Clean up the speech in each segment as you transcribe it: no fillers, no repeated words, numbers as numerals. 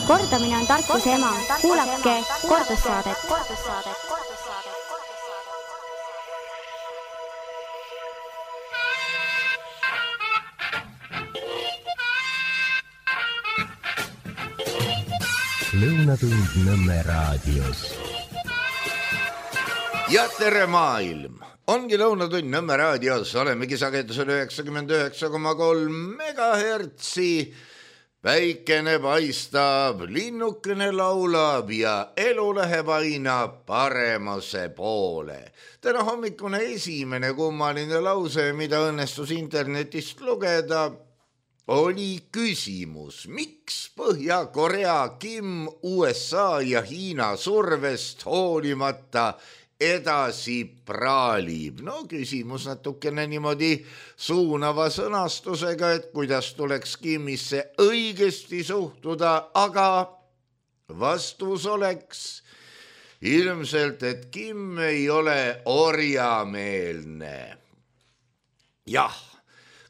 Kordamine on tarkuse ema. Kuulake kordussaadet. Lõunatund Nõmme raadios. Ja tere maailm! Ongi Lõunatund Nõmme raadios. Olemegi sagedusel 99,3 megahertsi. Päikene paistab, linnukene laulab ja elu läheb aina paremuse poole. Täna hommikune esimene kummaline lause, mida õnnestus internetist lugeda, oli küsimus, miks Põhja-Korea, Kim, USA ja Hiina survest hoolimata edasi praalib. No küsimus natukene niimoodi suunava sõnastusega, et kuidas tuleks Kimisse õigesti suhtuda, aga vastus oleks ilmselt, et Kim ei ole orjameelne. Jah.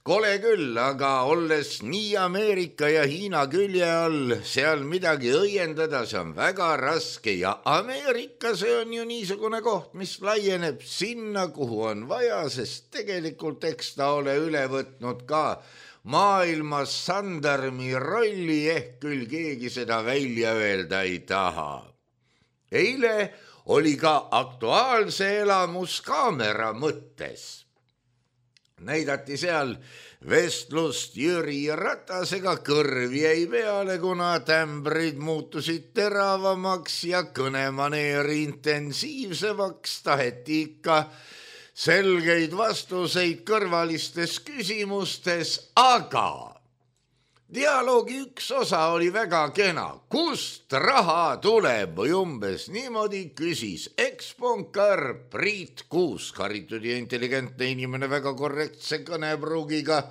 Kole küll, aga olles nii Ameerika ja Hiina külje all, seal midagi õiendada, see on väga raske ja Ameerika, see on ju niisugune koht, mis laieneb sinna, kuhu on vaja, sest tegelikult eks ta ole üle võtnud ka maailmas sandarmi rolli, ehk küll keegi seda välja öelda ei taha. Eile oli ka Aktuaalse elamuskaamera mõttes. Näidati seal vestlust Jüri Ratasega, kõrv jäi peale, kuna tämbrid muutusid teravamaks ja kõnemaneeri intensiivsemaks, taheti ikka selgeid vastuseid kõrvalistes küsimustes, aga dialoogi üks osa oli väga kena. Kust raha tuleb või umbes niimoodi küsis eksponkar Priit Kuusk, haritud ja intelligentne inimene väga korrektse kõnepruugiga,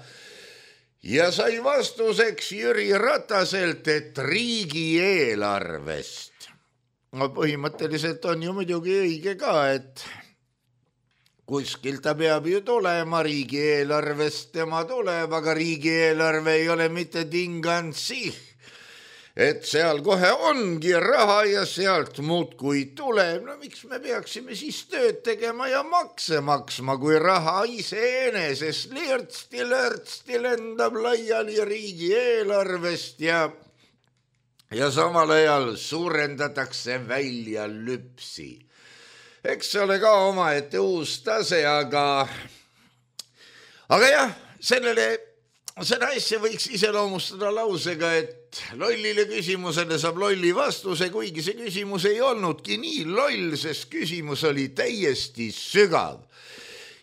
ja sai vastuseks Jüri Rataselt, et riigieelarvest. No põhimõtteliselt on ju muidugi õige ka, et kuskilt ta peab ju tulema, riigieelarvest tema tuleb, aga riigieelarve ei ole mitte tingansi, et seal kohe ongi raha ja sealt muudkui tuleb. No miks me peaksime siis tööd tegema ja makse maksma, kui raha iseenesest lirtsti lendab laiali riigieelarvest ja samal ajal suurendatakse välja lüpsi. Eks ole ka omaette uus tase, aga jah, seda asja võiks iseloomustada lausega, et lollile küsimusele saab lolli vastuse, kuigi see küsimus ei olnudki nii loll, sest küsimus oli täiesti sügav.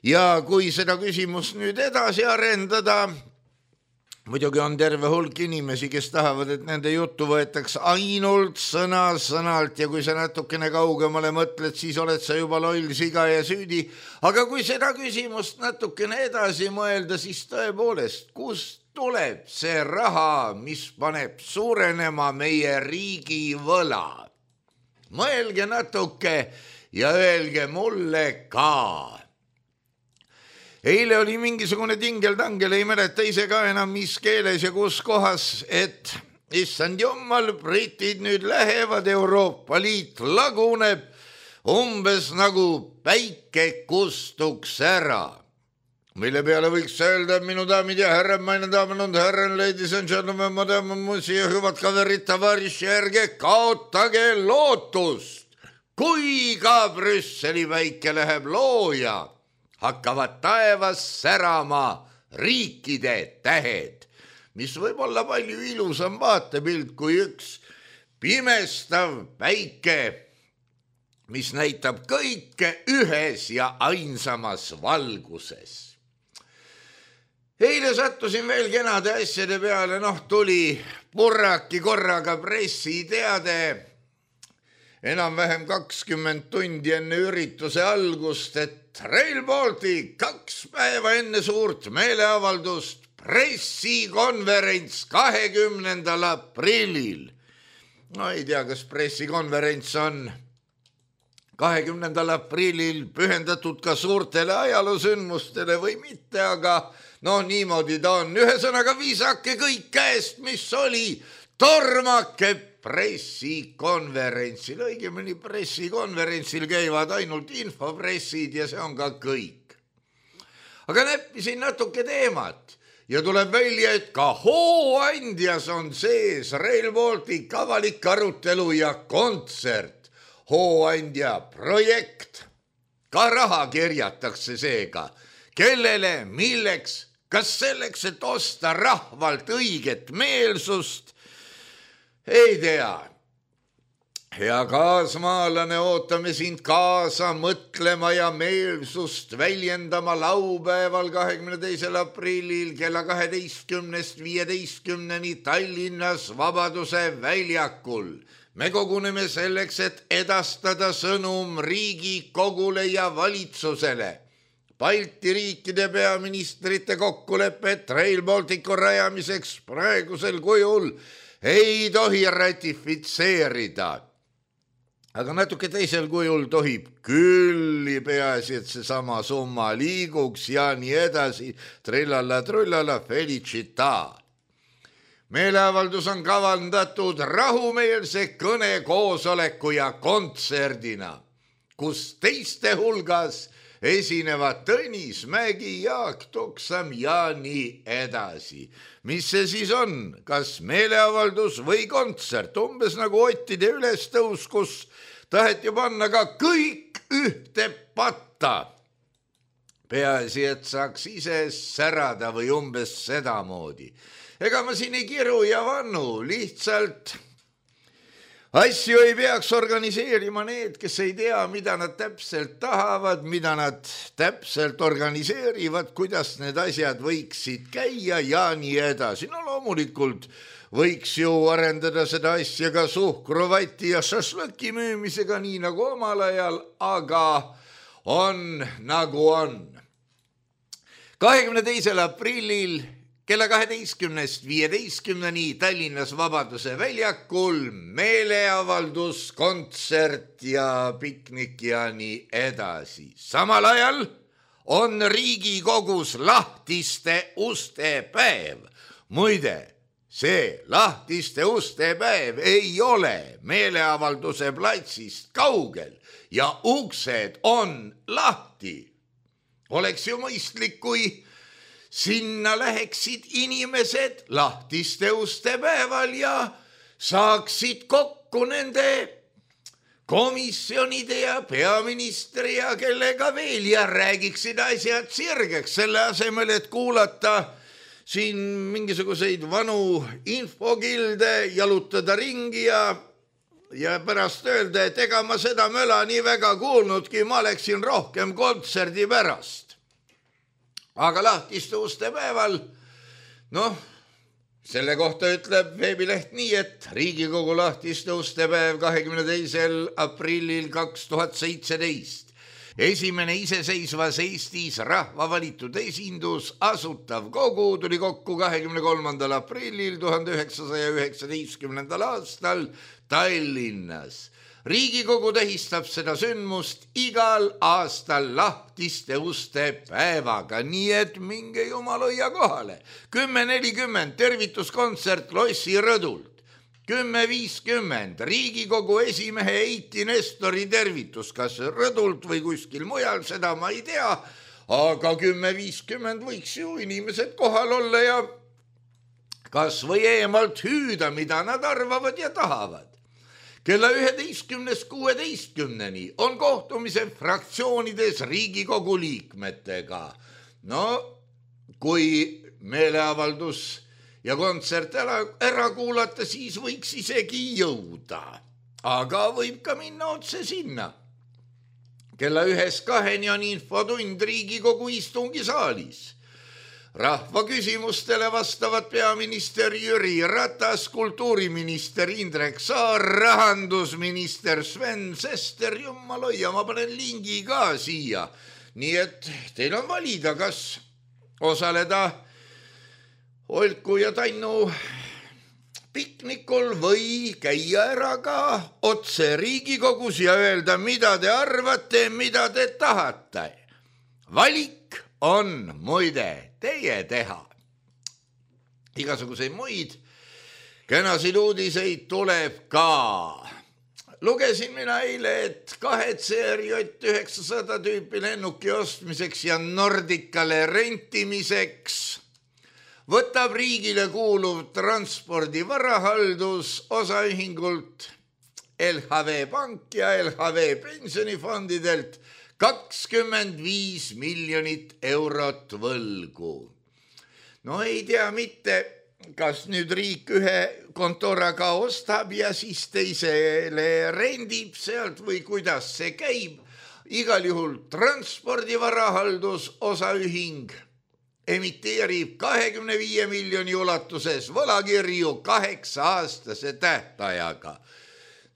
Ja kui seda küsimust nüüd edasi arendada, muidugi on terve hulk inimesi, kes tahavad, et nende juttu võetaks ainult sõna-sõnalt ja kui sa natukene kaugemale mõtled, siis oled sa juba loll, siga ja süüdi. Aga kui seda küsimust natukene edasi mõelda, siis tõepoolest, kust tuleb see raha, mis paneb suurenema meie riigi võla? Mõelge natuke ja öelge mulle ka. Eile oli mingisugune tingel-tangel, ei mäleta ise ka enam mis keeles ja kus kohas, et issand jummal, britid nüüd lähevad, Euroopa Liit laguneb, umbes nagu päike kustuks ära. Mille peale võiks öelda, minu daamid ja härrad, meine damen und herren, ladies and gentlemen, madame, musi ja hüvad kaverid, tavariši, ärge kaotage lootust. Kui ka Brüsseli päike läheb looja, hakkavad taevas särama riikide tähed, mis võib olla palju ilusam vaatepilt kui üks pimestav päike, mis näitab kõike ühes ja ainsamas valguses. Eile sattusin veel kenade asjade peale, tuli purraki korraga pressiteade, enam-vähem 20 tundi enne ürituse algust, et Rail Baltic 2 päeva enne suurt meeleavaldust, pressikonverents 20. aprillil. No ei tea, kas pressikonverents on 20. aprillil pühendatud ka suurtele ajaloosündmustele või mitte, aga niimoodi ta on. Ühesõnaga viisake kõik käest, mis oli, tormake pressikonverentsil, õigemini pressikonverentsil käivad ainult infopressid ja see on ka kõik. Aga näppisin natuke teemat ja tuleb välja, et ka hooandjas on sees Rail Baltic avalik arutelu ja kontsert. Hooandja projekt, ka raha kerjatakse seega. Kellele, milleks, kas selleks, et osta rahvalt õiget meelsust? Ei tea. Hea kaasmaalane, ootame sind kaasa mõtlema ja meelsust väljendama laupäeval 22. aprillil kella 12:15 Tallinnas Vabaduse väljakul. Me koguneme selleks, et edastada sõnum Riigikogule ja valitsusele. Balti riikide peaministrite kokkulepet Rail Balticu rajamiseks praegusel kujul ei tohi ratifitseerida. Aga natuke teisel kujul tohib külli, peaasi, et see sama summa liiguks ja nii edasi. Trillala, felicita. Meeleavaldus on kavandatud rahumeelse kõne, koosoleku ja kontserdina, kus teiste hulgas esinevad Tõnis Mägi, Jaak Tuksam ja nii edasi. Mis see siis on? Kas meeleavaldus või kontsert? Umbes nagu ottide ülestõus, kus taheti panna ka kõik ühte patta. Peaasi, et saaks ise särada või umbes sedamoodi. Ega ma siin ei kiru ja vannu, lihtsalt asju ei peaks organiseerima need, kes ei tea, mida nad täpselt tahavad, mida nad täpselt organiseerivad, kuidas need asjad võiksid käia ja nii edasi. No loomulikult võiks ju arendada seda asja ka suhkruvati ja šašlõki müümisega nii nagu omal ajal, aga on nagu on. 22. aprillil kella 12:15 Tallinnas Vabaduse väljakul meeleavaldus, kontsert ja piknik ja nii edasi. Samal ajal on Riigikogus lahtiste uste päev. Muide, see lahtiste uste päev ei ole meeleavalduse platsist kaugel ja uksed on lahti. Oleks ju mõistlik, kui sinna läheksid inimesed lahtiste uste päeval ja saaksid kokku nende komisjonide ja peaministri ja kellega veel ja räägiksid asjad sirgeks, selle asemel, et kuulata siin mingisuguseid vanu infokilde, jalutada ringi ja pärast öelda, et ega ma seda möla nii väga kuulnudki, ma oleksin rohkem kontserdi pärast. Aga lahtiste uste päeval, selle kohta ütleb veebileht nii, et Riigikogu lahtiste uste päev 22. aprillil 2017. Esimene iseseisvas Eestis rahva valitud esindus Asutav Kogu tuli kokku 23. aprillil 1919. aastal Tallinnas. Riigikogu tähistab seda sündmust igal aastal lahtiste uste päevaga, nii et minge jumaloia kohale. 10:40 tervituskontsert Lossi rõdult. 10:50 Riigikogu esimehe Eiti Nestori tervitus, kas rõdult või kuskil mujal, seda ma ei tea, aga 10:50 võiks ju inimesed kohal olla ja kas või eemalt hüüda, mida nad arvavad ja tahavad. Kella 11:16 on kohtumised fraktsioonides Riigikogu liikmetega. Kui meeleavaldus ja kontsert ära kuulata, siis võiks isegi jõuda. Aga võib ka minna otse sinna. Kella 1:02 on infotund Riigikogu istungisaalis. Rahva küsimustele vastavad peaminister Jüri Ratas, kultuuriminister Indrek Saar, rahandusminister Sven Sester, jumaloia, ma panen lingi ka siia. Nii et teil on valida, kas osaleda Olku ja Tannu piknikul või käia ära ka otse Riigikogus ja öelda, mida te arvate, mida te tahate. Valik on muide teie teha. Igasuguseid muid kenasid uudiseid tuleb ka. Lugesin mina eile, et 2 CRJ900 tüüpi lennuki ostmiseks ja Nordicale rentimiseks võtab riigile kuuluv transpordi varahaldus osaühingult LHV Pank ja LHV pensionifondidelt 25 miljonit eurot võlgu. No ei tea mitte, kas nüüd riik ühe kontoraga ostab ja siis teisele rendib sealt või kuidas see käib. Igal juhul transpordivarahaldus osaühing emiteerib 25 miljoni ulatuses võlakirju 8-aastase tähtajaga.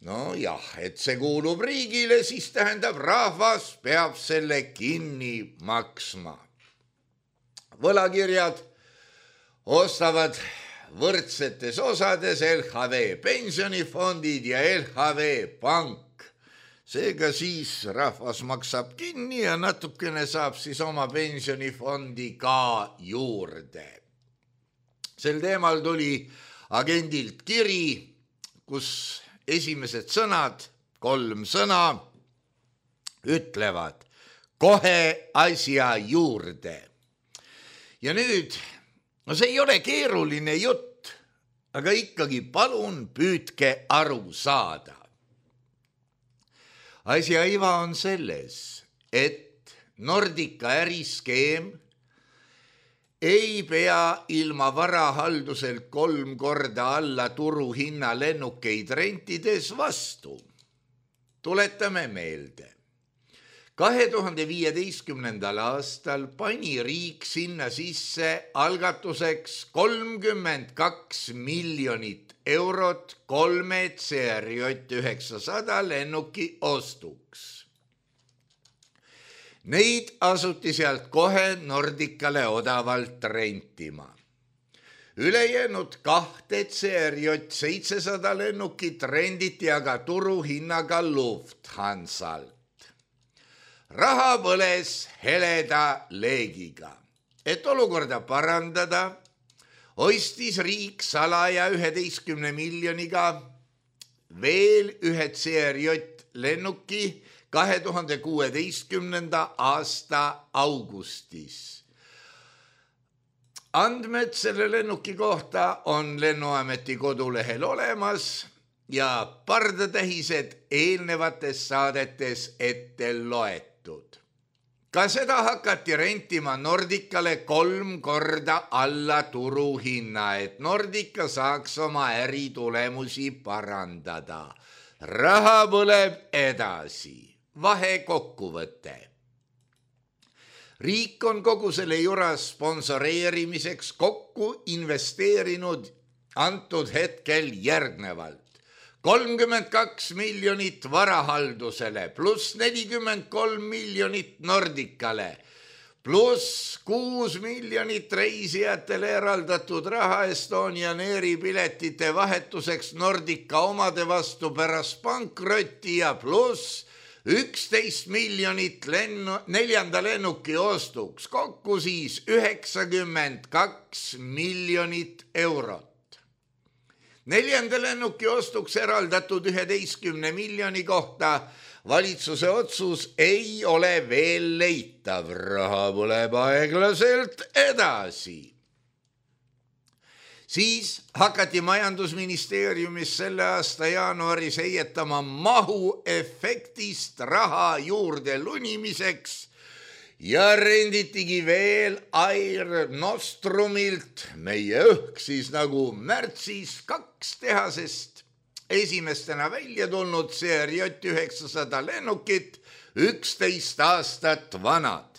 No jah, et see kuulub riigile, siis tähendab rahvas peab selle kinni maksma. Võlakirjad ostavad võrdsetes osades LHV pensionifondid ja LHV Pank. Seega siis rahvas maksab kinni ja natukene saab siis oma pensionifondi ka juurde. Sel teemal tuli agendilt kiri, kus esimesed sõnad, 3 sõna, ütlevad kohe asja juurde. Ja nüüd, no see ei ole keeruline jutt, aga ikkagi palun püüdke aru saada. Asja iva on selles, et Nordica äriskeem ei pea ilma varahalduselt 3 korda alla turuhinna lennukeid rentides vastu. Tuletame meelde. 2015. aastal pani riik sinna sisse algatuseks 32 miljonit eurot 3 CRJ900 lennuki ostuks. Neid asuti sealt kohe Nordicale odavalt rentima. Ülejäänud 2 CRJ700 lennukit renditi aga turuhinnaga Lufthansalt. Raha põles heleda leegiga. Et olukorda parandada, ostis riik salaja 11 miljoniga veel 1 CRJ lennuki 2016. aasta augustis. Andmed selle lennuki kohta on Lennuameti kodulehel olemas ja pardatähised eelnevates saadetes ette loetud. Ka seda hakati rentima Nordicale 3 korda alla turuhinna, et Nordica saaks oma äritulemusi parandada. Raha põleb edasi. Vahekokkuvõte. Riik on kogu selle jura sponsoreerimiseks kokku investeerinud antud hetkel järgnevalt. 32 miljonit varahaldusele, pluss 43 miljonit Nordicale, pluss 6 miljonit reisijatele eraldatud raha Estonian Airi piletite vahetuseks Nordica omade vastu pärast pankrotti ja pluss 11 miljonit 4. lennuki ostuks, kokku siis 92 miljonit eurot. 4. lennuki ostuks eraldatud 11 miljoni kohta valitsuse otsus ei ole veel leitav, raha põleb aeglaselt edasi. Siis hakati majandusministeeriumis selle aasta jaanuaris heietama mahuefektist raha juurde lunimiseks ja renditigi veel Air Nostrumilt, meie õhk siis nagu märtsis, 2 tehasest esimestena välja tulnud CRJ900 lennukit, 11 aastat vanad.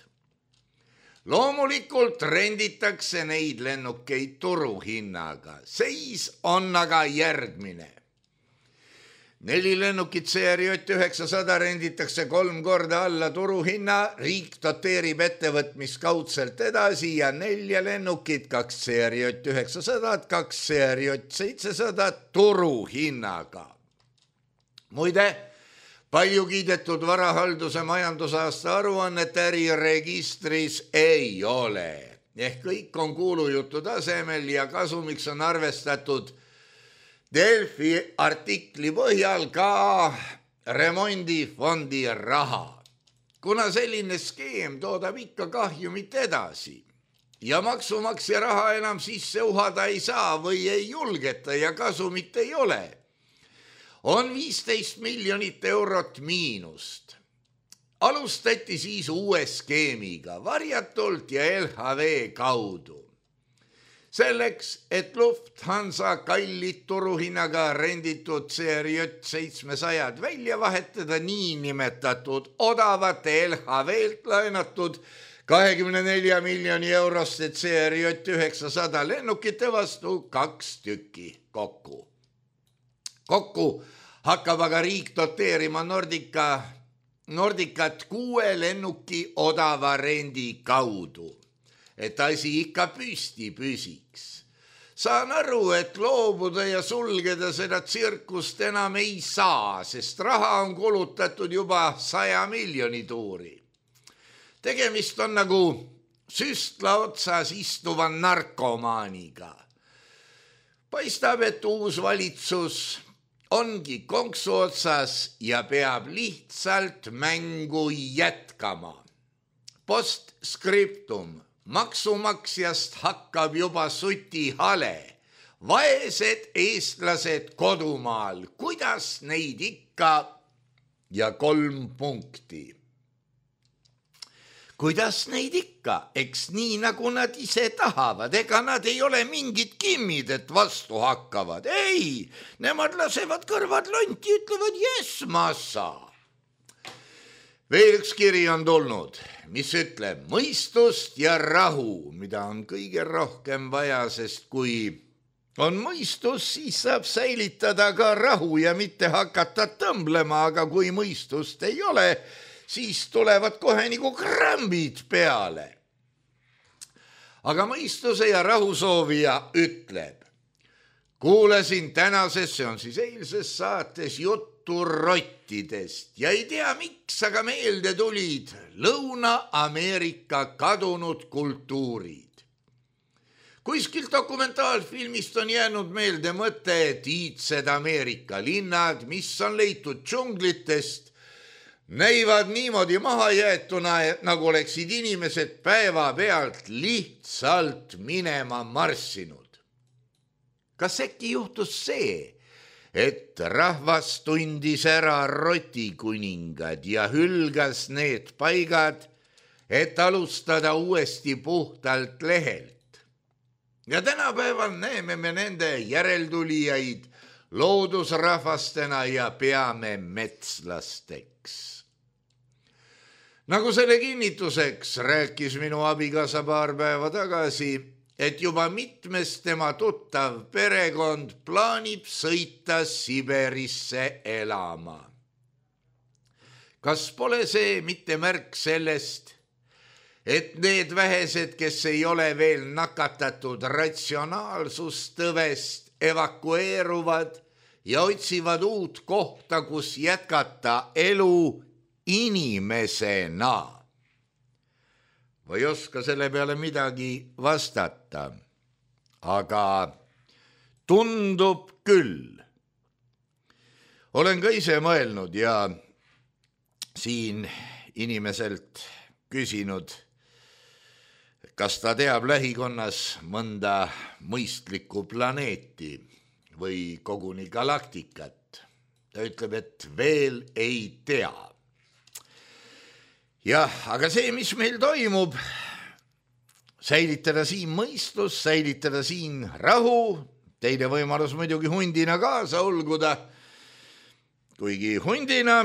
Loomulikult renditakse neid lennukeid turuhinnaga. Seis on aga järgmine. 4 lennukit CRJ900 renditakse 3 korda alla turuhinna, riik doteerib ettevõtmist kaudselt edasi ja 4 lennukit, 2 CRJ900, 2 CRJ700 turuhinnaga. Muide, palju kiidetud varahalduse majandusaasta aruannet äriregistris ei ole. Ehk kõik on kuulujuttu tasemel ja kasumiks on arvestatud Delfi artikli põhjal ka remondifondi raha. Kuna selline skeem toodab ikka kahjumit edasi ja maksumaksja raha enam sisse uhada ei saa või ei julgeta ja kasumit ei ole, on 15 miljonit eurot miinust. Alustati siis uue skeemiga varjatult ja LHV kaudu. Selleks, et Lufthansa kallid turuhinnaga renditud CRJ 700 välja vahetada niinimetatud odavate LHV-lt laenatud 24 miljoni euroste CRJ 900 lennukite vastu 2 tükki kokku. Kokku hakkab aga riik doteerima Nordicat 6 lennuki odava rendi kaudu, et asi ikka püsti püsiks. Saan aru, et loobuda ja sulgeda seda tsirkust enam ei saa, sest raha on kulutatud juba 100 miljoni tuuri. Tegemist on nagu süstla otsas istuva narkomaaniga. Paistab, et uus valitsus ongi konksu otsas ja peab lihtsalt mängu jätkama. Postscriptum. Maksumaksjast hakkab juba suti hale. Vaesed eestlased kodumaal, kuidas neid ikka ja 3 punkti. Kuidas neid ikka, eks nii nagu nad ise tahavad, ega nad ei ole mingid kimmid, et vastu hakkavad. Ei, nemad lasevad kõrvad lonti, ütlevad yes, massa. Veel üks kiri on tulnud, mis ütleb mõistust ja rahu, mida on kõige rohkem vaja, sest kui on mõistus, siis saab säilitada ka rahu ja mitte hakata tõmblema, aga kui mõistust ei ole, siis tulevad kohe nagu krambid peale. Aga mõistuse ja rahu soovija ütleb, kuulasin tänases, see on siis eilses saates juttu rottidest ja ei tea miks, aga meelde tulid Lõuna-Ameerika kadunud kultuurid. Kuskilt dokumentaalfilmist on jäänud meelde mõte, et iidsed Ameerika linnad, mis on leitud džunglitest, näivad niimoodi mahajäetuna, nagu oleksid inimesed päevapealt lihtsalt minema marssinud. Kas äkki juhtus see, et rahvas tundis ära rotikuningad ja hülgas need paigad, et alustada uuesti puhtalt lehelt. Ja tänapäeval näeme me nende järeltulijaid loodusrahvastena ja peame metslasteks. Nagu selle kinnituseks rääkis minu abikaasa paar päeva tagasi, et juba mitmes tema tuttav perekond plaanib sõita Siberisse elama. Kas pole see mitte märk sellest, et need vähesed, kes ei ole veel nakatatud ratsionaalsustõvest, evakueeruvad ja otsivad uut kohta, kus jätkata elu inimesena? Või oska selle peale midagi vastata, aga tundub küll. Olen ka ise mõelnud ja siin inimeselt küsinud, kas ta teab lähikonnas mõnda mõistlikku planeeti või koguni galaktikat. Ta ütleb, et veel ei tea. Jah, aga see, mis meil toimub, säilitada siin mõistus, säilitada siin rahu, teine võimalus muidugi hundina kaasa ulguda. Kuigi hundina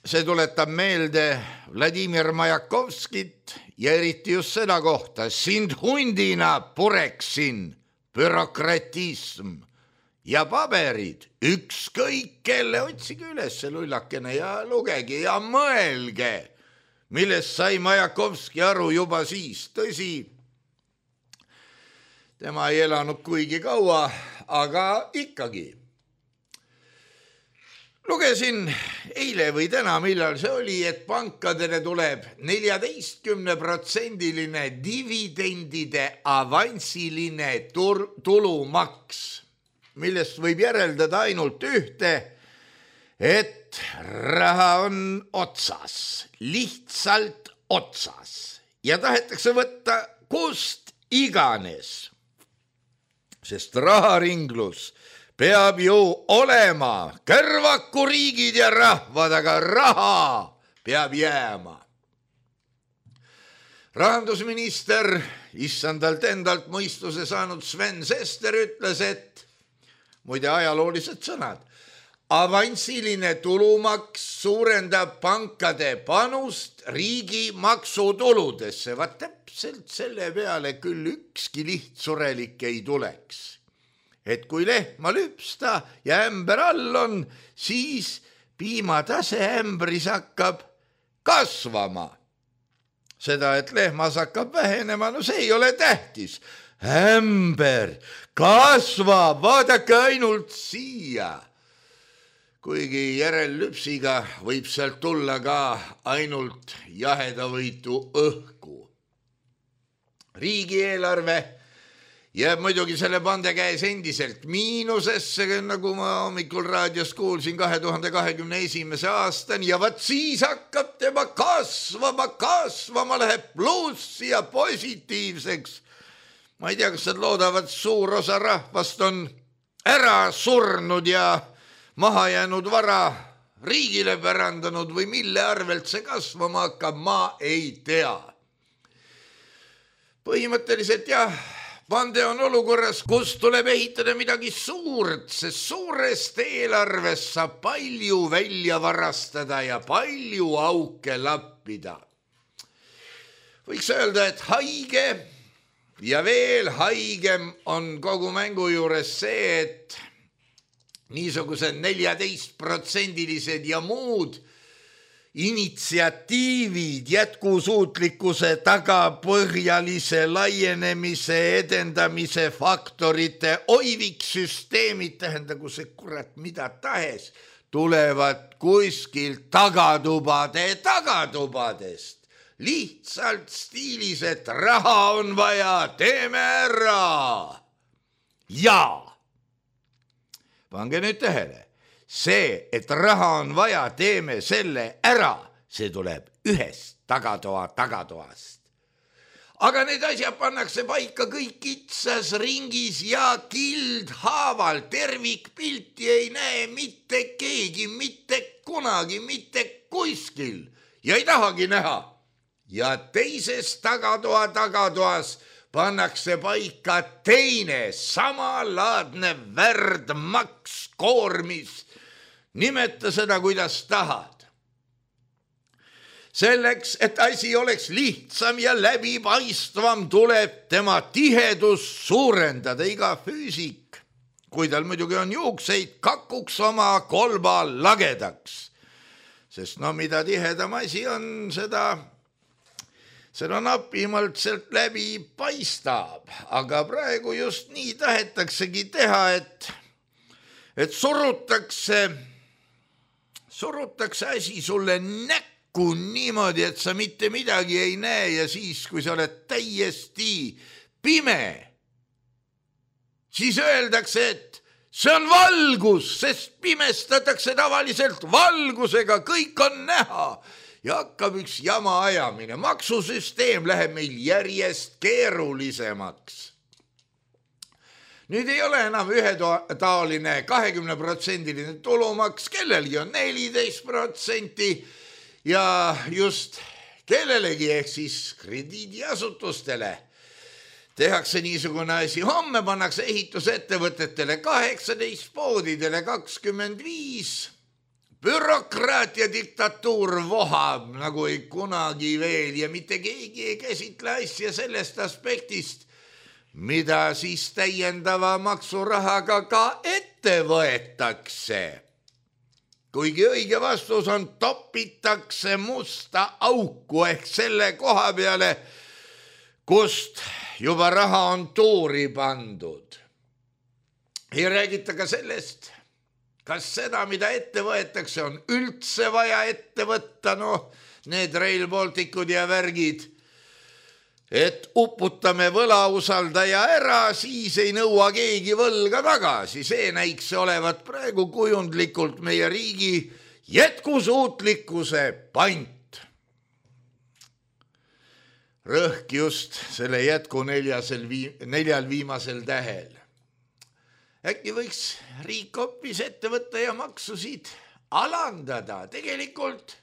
see tuletab meelde Vladimir Majakovskit ja eriti just seda kohta, sind hundina pureksin, bürokratism ja paberid, ükskõik kelle, otsige üles see lullakene ja lugege ja mõelge, millest sai Majakovski aru juba siis. Tõsi, tema ei elanud kuigi kaua, aga ikkagi. Lugesin eile või täna, millal see oli, et pankadele tuleb 14% dividendide avansiline tulumaks. millest võib järeldada ainult ühte, et raha on otsas, lihtsalt otsas ja tahetakse võtta kust iganes. Sest raharinglus peab ju olema, kõrvakuriigid ja rahvad, aga raha peab jääma. Rahandusminister, issandalt endalt mõistuse saanud Sven Sester ütles, et muide ajaloolised sõnad, avansiline tulumaks suurendab pankade panust riigi maksutuludesse. Vaat täpselt selle peale küll ükski lihtsurelik ei tuleks. Et kui lehma lüpsta ja ämber all on, siis piimatase ämbris hakkab kasvama. Seda, et lehmas hakkab vähenema, no see ei ole tähtis. Ämber kasvab, vaadake ainult siia. Kuigi järellüpsiga võib sealt tulla ka ainult jahedavõitu õhku. Riigieelarve jääb muidugi selle pande käes endiselt miinusesse, nagu ma hommikul raadios kuulsin 2021. aastani ja vaat siis hakkab tema kasvama, läheb plussi ja positiivseks. Ma ei tea, kas nad loodavad, suur osa rahvast on ära surnud ja maha jäänud vara riigile pärandanud või mille arvelt see kasvama hakkab, ma ei tea. Põhimõtteliselt jah, pande on olukorras, kus tuleb ehitada midagi suurt, sest suurest eelarvest saab palju välja varastada ja palju auke lappida. Võiks öelda, et haige ja veel haigem on kogu mängu juures see, et niisugused 14% ja muud initsiatiivid jätkusuutlikkuse tagapõhjalise laienemise edendamise faktorite oiviksüsteemid, tähendagu see kurat mida tahes, tulevad kuskilt tagatubadest. Lihtsalt stiilis, et raha on vaja, teeme ära. Ja pange nüüd tähele. See, et raha on vaja, teeme selle ära, see tuleb ühest tagatoast. Aga need asjad pannakse paika kõik kitsas ringis ja kildhaaval. Tervikpilti ei näe mitte keegi, mitte kunagi, mitte kuskil ja ei tahagi näha. Ja teises tagatoas pannakse paika teine samalaadne värdmaks koormis. Nimeta seda, kuidas tahad. Selleks, et asi oleks lihtsam ja läbipaistvam, tuleb tema tihedus suurendada. Iga füüsik, kui tal muidugi on juukseid, kakuks oma kolba lagedaks. Sest no mida tihedam asi on, seda napimalt sealt läbi paistab. Aga praegu just nii tahetaksegi teha, et surutakse asi sulle näkku niimoodi, et sa mitte midagi ei näe ja siis, kui sa oled täiesti pime, siis öeldakse, et see on valgus, sest pimestatakse tavaliselt valgusega, kõik on näha ja hakkab üks jama ajamine. Maksusüsteem läheb meil järjest keerulisemaks. Nüüd ei ole enam ühetaoline 20% tulumaks, kellelgi on 14% ja just kellelegi ehk siis krediidiasutustele tehakse niisugune asi. Homme pannakse ehitusettevõtetele 18, poodidele 25. Bürokraatia diktatuur vohab nagu ei kunagi veel ja mitte keegi ei käsitle asja sellest aspektist, mida siis täiendava maksurahaga ka ette võetakse. Kuigi õige vastus on topitakse musta auku ehk selle koha peale, kust juba raha on tuuri pandud. Ei räägita ka sellest, kas seda, mida ette võetakse, on üldse vaja ette võtta, need Rail Balticud ja värgid. et uputame võlausaldaja ära, siis ei nõua keegi võlga tagasi. See näiks olevat praegu kujundlikult meie riigi jätkusuutlikkuse pant. Rõhk just selle jätku neljal viimasel tähel. Äkki võiks riik hoopis ette võtta ja maksusid alandada. Tegelikult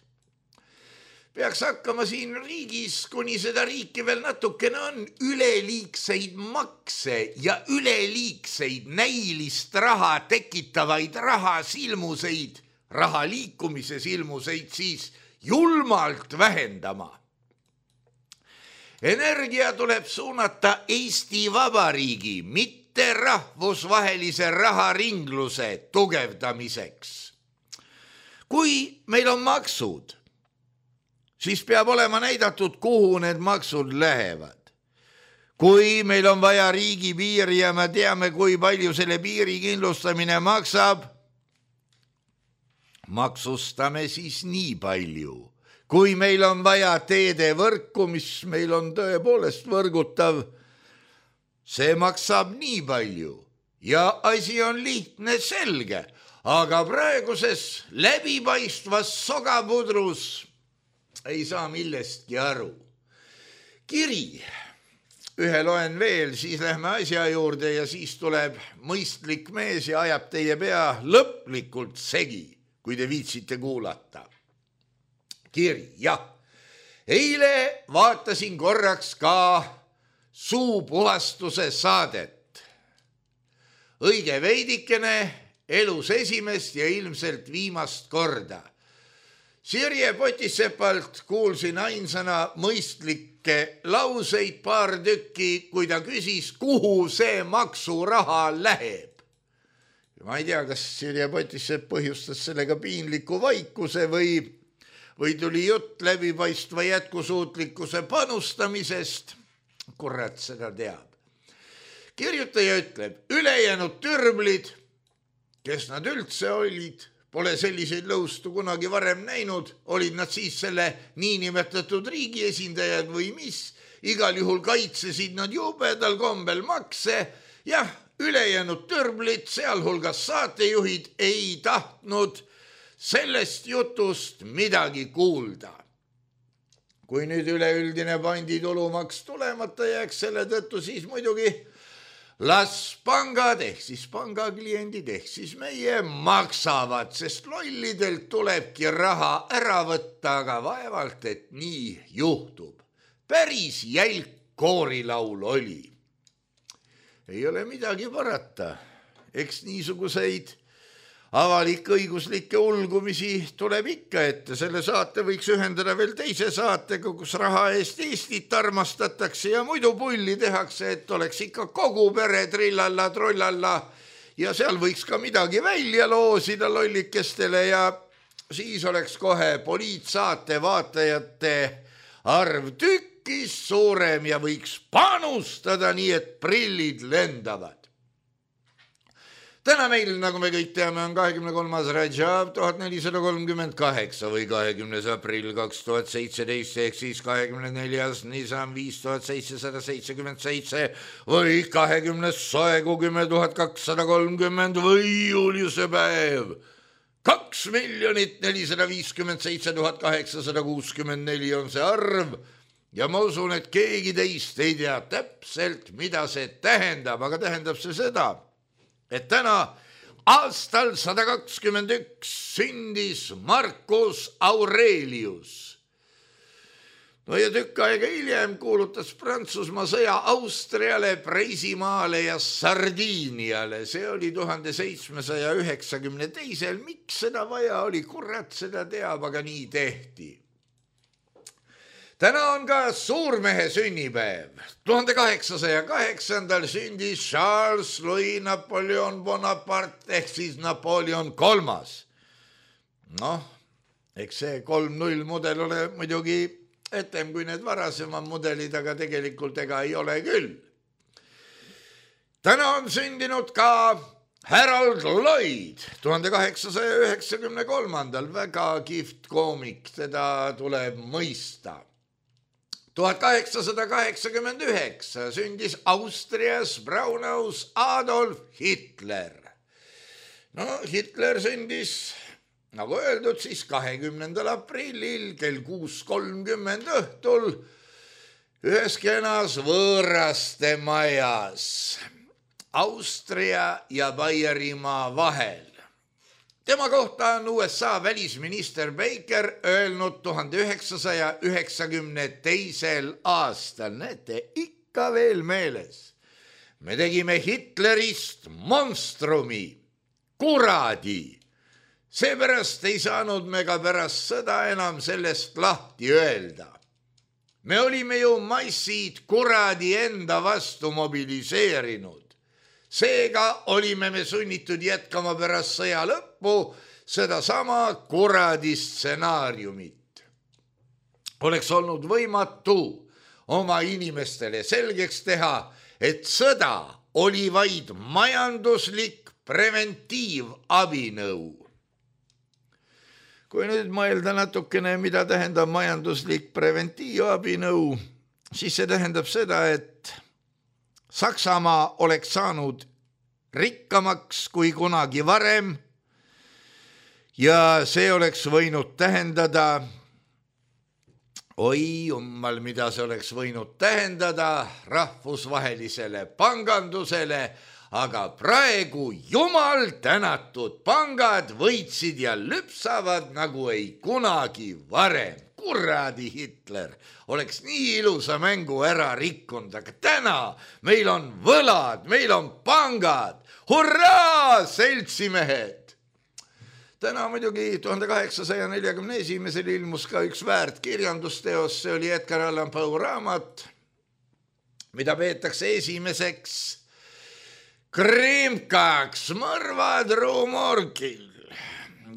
peaks hakkama siin riigis, kuni seda riiki veel natukene on, üleliigseid makse ja üleliigseid näilist raha tekitavaid rahasilmuseid, raha liikumise silmuseid siis julmalt vähendama. Energia tuleb suunata Eesti Vabariigi, mitte rahvusvahelise raharingluse tugevdamiseks. Kui meil on maksud, siis peab olema näidatud, kuhu need maksud lähevad. Kui meil on vaja riigi piiri ja me teame, kui palju selle piiri kindlustamine maksab, maksustame siis nii palju. Kui meil on vaja teedevõrku, mis meil on tõepoolest võrgutav, see maksab nii palju ja asi on lihtne, selge, aga praeguses läbipaistvas sogapudrus ei saa millestki aru. Kiri, ühe loen veel, siis lähme asja juurde ja siis tuleb mõistlik mees ja ajab teie pea lõplikult segi, kui te viitsite kuulata. Kiri, jah. Eile vaatasin korraks ka suupuhastuse saadet. Õige veidikene, elus esimest ja ilmselt viimast korda. Sirje Potisepalt kuulsin ainsana mõistlikke lauseid paar tükki, kui ta küsis, kuhu see maksuraha läheb. Ma ei tea, kas Sirje Potisep põhjustas sellega piinliku vaikuse või tuli jutt läbipaistva jätkusuutlikkuse panustamisest. Kurat seda teab. Kirjutaja ütleb, ülejäänud türblid, kes nad üldse olid, pole selliseid lõustu kunagi varem näinud, olid nad siis selle niinimetatud riigi esindajad või mis, igal juhul kaitsesid nad jubedal kombel makse, jah, ülejäänud türblid, sealhulgas saatejuhid ei tahtnud sellest jutust midagi kuulda. Kui nüüd üleüldine panditulumaks tulemata jääks selle tõttu, siis muidugi las pangad ehk siis pangakliendid ehk siis meie maksavad, sest lollidelt tulebki raha ära võtta, aga vaevalt, et nii juhtub. Päris jälk koorilaul oli. Ei ole midagi parata, eks niisuguseid avalik-õiguslikke ulgumisi tuleb ikka ette. Selle saate võiks ühendada veel teise saatega, kus raha eest Eestit armastatakse ja muidu pulli tehakse, et oleks ikka kogu pere trillalla, trollalla ja seal võiks ka midagi välja loosida lollikestele ja siis oleks kohe poliitsaate vaatajate arv tükkis suurem ja võiks panustada nii, et prillid lendavad. Täna meil, nagu me kõik teame, on 23. Rajab 1438 või 20. aprill 2017 ehk siis 24. Nisan 5777 või 20. Soegu 10 230 või Juliuse päev. 2 457 864 on see arv ja ma usun, et keegi teist ei tea täpselt, mida see tähendab, aga tähendab see seda, et täna aastal 121 sündis Marcus Aurelius. No ja tükk aega hiljem kuulutas Prantsusmaa sõja Austriale, Preisimaale ja Sardiiniale. See oli 1792. Miks seda vaja oli? Kurat seda teab, aga nii tehti. Täna on ka suurmehe sünnipäev. 1808. sündis Charles Louis Napoleon Bonaparte ehk siis Napoleon III. Noh, eks see 3-0 mudel ole muidugi etem kui need varasemad mudelid, aga tegelikult ega ei ole küll. Täna on sündinud ka Harold Lloyd 1893. Väga kihvt koomik, teda tuleb mõista. 1889 sündis Austrias Braunaus Adolf Hitler. No Hitler sündis, nagu öeldud, siis 20. aprillil kell 6:30 õhtul ühes kenas võõraste majas Austria ja Baierimaa vahel. Tema kohta on USA välisminister Baker öelnud 1992. aastal, näete, ikka veel meeles. Me tegime Hitlerist monstrumi, kuradi. Seepärast ei saanud me ka pärast sõda enam sellest lahti öelda. Me olime ju massid kuradi enda vastu mobiliseerinud. Seega olime me sunnitud jätkama pärast sõja lõppu sedasama kuradi stsenaariumit. Oleks olnud võimatu oma inimestele selgeks teha, et sõda oli vaid majanduslik preventiivabinõu. Kui nüüd mõelda natukene, mida tähendab majanduslik preventiivabinõu, siis see tähendab seda, et Saksamaa oleks saanud rikkamaks kui kunagi varem ja see oleks võinud tähendada, oi jummal, mida see oleks võinud tähendada rahvusvahelisele pangandusele, aga praegu jumal tänatud pangad võitsid ja lüpsavad nagu ei kunagi varem. Kuradi Hitler oleks nii ilusa mängu ära rikkunud, aga täna meil on võlad, meil on pangad. Hurraa, seltsimehed! Täna muidugi 1841 ilmus ka üks väärt kirjandusteos, see oli Edgar Allan Poe raamat, mida peetakse esimeseks krimkaks mõrvad Ruumorgil.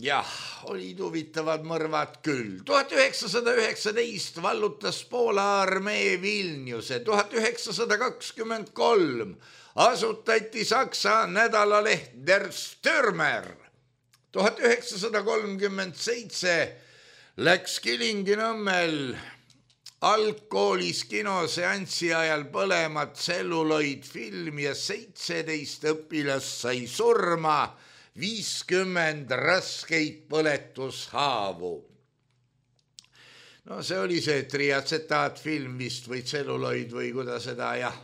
Jah, olid huvitavad mõrvad küll. 1919 vallutas Poola armee Vilniuse. 1923 asutati Saksa nädalaleht Der Stürmer. 1937 läks Kilingi-Nõmmel algkoolis kinoseanssi ajal põlema tselluloidfilm ja 17 õpilast sai surma, 50 raskeid põletushaavu. No see oli see triatsetaatfilm vist või tselluloid või kuidas seda, jah.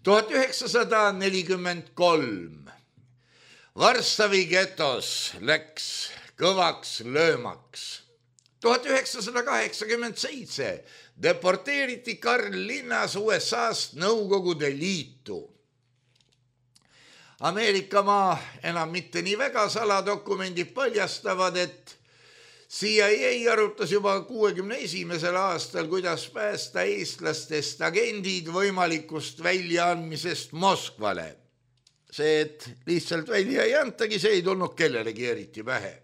1943 Varssavi getos läks kõvaks löömaks. 1987 deporteeriti Karl Linnas USA-st Nõukogude Liitu. Ameerikamaa enam mitte nii väga saladokumendid paljastavad, et CIA arutas juba 61. aastal, kuidas päästa eestlastest agendid võimalikust väljaandmisest Moskvale. See, et lihtsalt välja ei antagi, see ei tulnud kellelegi eriti pähe.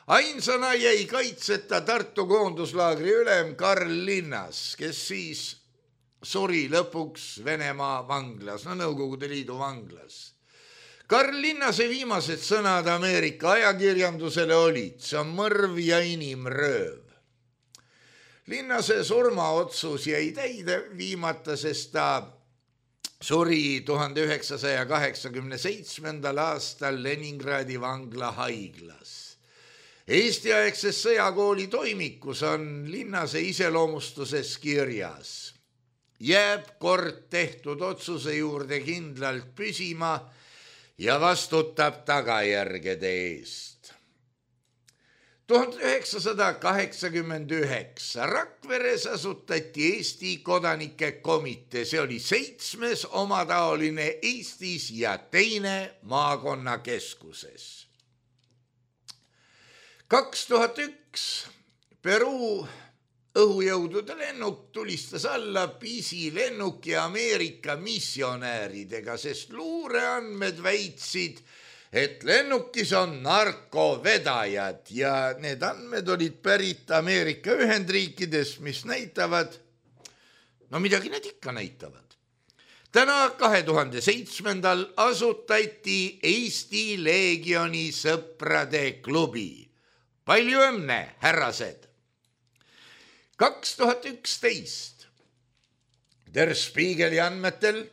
Ainsana jäi kaitseta Tartu koonduslaagri ülem Karl Linnas, kes siis suri lõpuks Venemaa vanglas, Nõukogude Liidu vanglas. Karl Linnase viimased sõnad Ameerika ajakirjandusele olid, see on mõrv ja inimrööv. Linnase surmaotsus jäi täide viimata, sest ta suri 1987. aastal Leningradi vangla haiglas. Eesti-aegses sõjakooli toimikus on Linnase iseloomustuses kirjas. Jääb kord tehtud otsuse juurde kindlalt püsima ja vastutab tagajärgede eest. 1989 Rakveres asutati Eesti kodanike komitee, see oli 7. omataoline Eestis ja 2. maakonnakeskuses. 2001 Peruu õhujõudude lennuk tulistas alla pisilennuki Ameerika missionääridega, sest luureandmed väitsid, et lennukis on narkovedajad ja need andmed olid pärit Ameerika Ühendriikidest, mis näitavad, no midagi need ikka näitavad. Täna 2007. asutati Eesti Leegioni sõprade klubi. Palju õnne, härrased! 2011 Der Spiegeli andmetel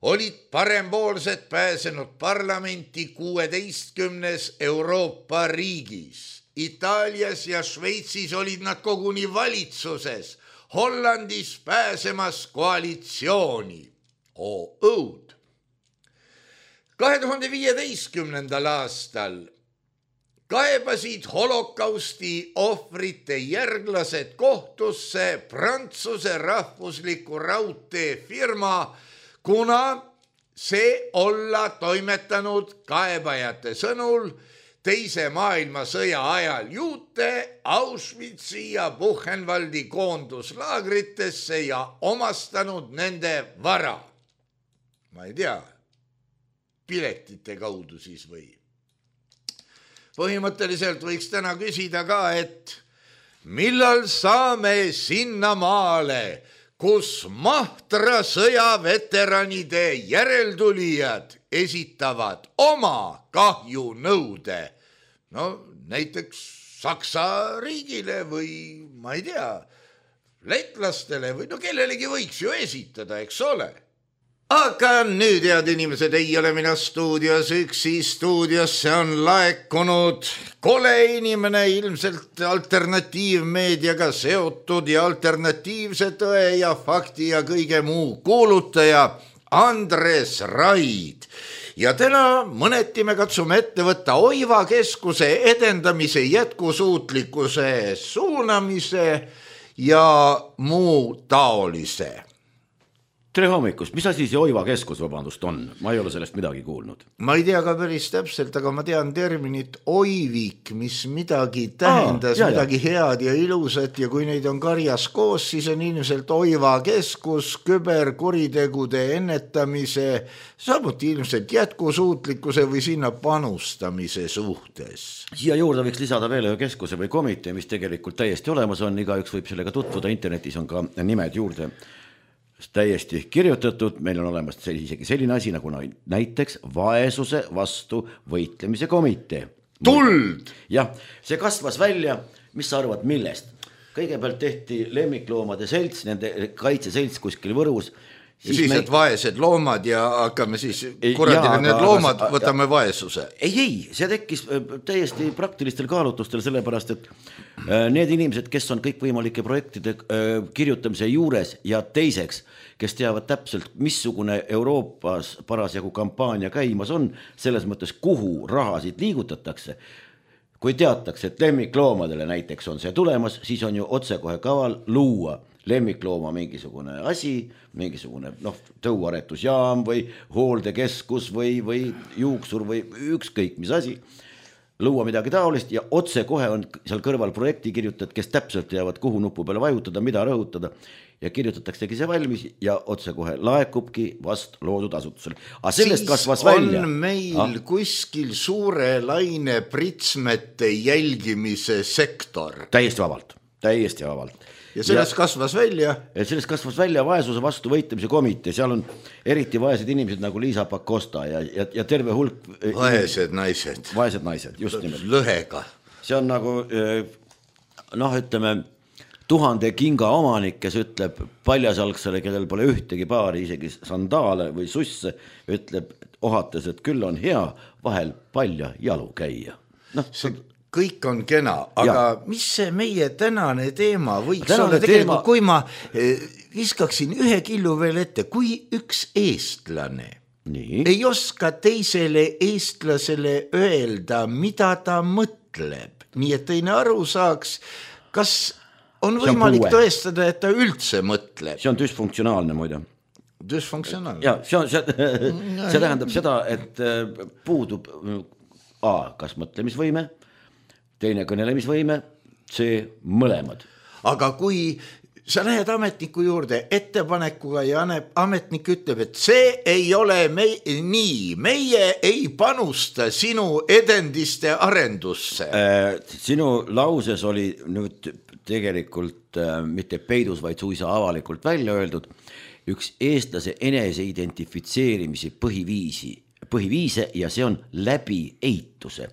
olid parempoolsed pääsenud parlamenti 16 Euroopa riigis. Itaalias ja Šveitsis olid nad koguni valitsuses, Hollandis pääsemas koalitsiooni. Õud. 2015. aastal kaebasid holokausti ohvrite järglased kohtusse Prantsuse rahvusliku raudteefirma, kuna see olla toimetanud kaebajate sõnul Teise maailmasõja ajal juute Auschwitzi ja Buchenwaldi koonduslaagritesse ja omastanud nende vara. Ma ei tea, piletite kaudu siis või. Põhimõtteliselt võiks täna küsida ka, et millal saame sinna maale, kus Mahtra sõjaveteranide järeltulijad esitavad oma kahjunõude, no näiteks Saksa riigile või ma ei tea, letlastele või no kellelegi võiks ju esitada, eks ole. Aga nüüd, head inimesed, ei ole mina stuudios üksi, stuudiosse on laekunud kole inimene, ilmselt alternatiivmeediaga seotud ja alternatiivse tõe ja fakti ja kõige muu kuulutaja Andres Raid. Ja täna mõneti me katsume ette võtta Oiva keskuse edendamise jätkusuutlikkuse suunamise ja muu taolise. Tere hommikust, mis asi see Oiva keskus, vabandust, on? Ma ei ole sellest midagi kuulnud. Ma ei tea ka päris täpselt, aga ma tean terminit oivik, mis midagi tähendas, midagi head ja ilusat ja kui neid on karjas koos, siis on ilmselt Oiva keskus küberkuritegude ennetamise, samuti ilmselt jätkusuutlikkuse või sinna panustamise suhtes. Siia juurde võiks lisada veel ühe keskuse või komitee, mis tegelikult täiesti olemas on, igaüks võib sellega tutvuda, internetis on ka nimed juurde täiesti kirjutatud, meil on olemas isegi selline asi nagu näiteks vaesuse vastu võitlemise komitee. Tuld! Jah, see kasvas välja, mis sa arvad millest? Kõigepealt tehti lemmikloomade selts, nende kaitseselts kuskil Võrus. Ja siis need vaesed loomad ja hakkame siis kuradile need loomad, võtame vaesuse. Ei, see tekkis täiesti praktilistel kaalutlustel, sellepärast, et need inimesed, kes on kõikvõimalike projektide kirjutamise juures ja teiseks, kes teavad täpselt, missugune Euroopas parasjagu kampaania käimas on, selles mõttes, kuhu rahasid liigutatakse. Kui teatakse, et lemmikloomadele näiteks on see tulemas, siis on ju otsekohe kaval luua lemmiklooma mingisugune asi, mingisugune tõuaretusjaam või hooldekeskus või juuksur või ükskõik mis asi, luua midagi taolist ja otsekohe on seal kõrval projekti kirjutad, kes täpselt teavad, kuhu nupu peale vajutada, mida rõhutada ja kirjutataksegi see valmis ja otsekohe laekubki vast loodud asutusele. Aga sellest kasvas välja. On meil kuskil suure laine pritsmete jälgimise sektor. Täiesti vabalt. Ja sellest kasvas välja? Sellest kasvas välja vaesuse vastu võitlemise komitee, seal on eriti vaesed inimesed nagu Liisa Pakosta ja terve hulk vaesed naised, just nimelt. Lõhega. See on nagu, ütleme, 1000 kinga omanik, kes ütleb paljasalgsele, kellel pole ühtegi paari, isegi sandaale või susse, ütleb ohates, et küll on hea vahel palja jalu käia. Kõik on kena, aga mis see meie tänane teema võiks olla tegelikult, kui ma viskaksin ühe killu veel ette, kui üks eestlane ei oska teisele eestlasele öelda, mida ta mõtleb, nii et teine aru saaks, kas on võimalik tõestada, et ta üldse mõtleb. See on dysfunktsionaalne muide. Dysfunktsionaalne? Ja, see tähendab seda, et puudub kas mõtlemisvõime, teine kõnelemisvõime, see mõlemad. Aga kui sa lähed ametniku juurde ettepanekuga ja ametnik ütleb, et see ei ole nii, meie ei panusta sinu edendiste arendusse. Sinu lauses oli nüüd tegelikult mitte peidus, vaid suisa avalikult välja öeldud üks eestlase enese identifitseerimise põhiviise ja see on läbi eituse.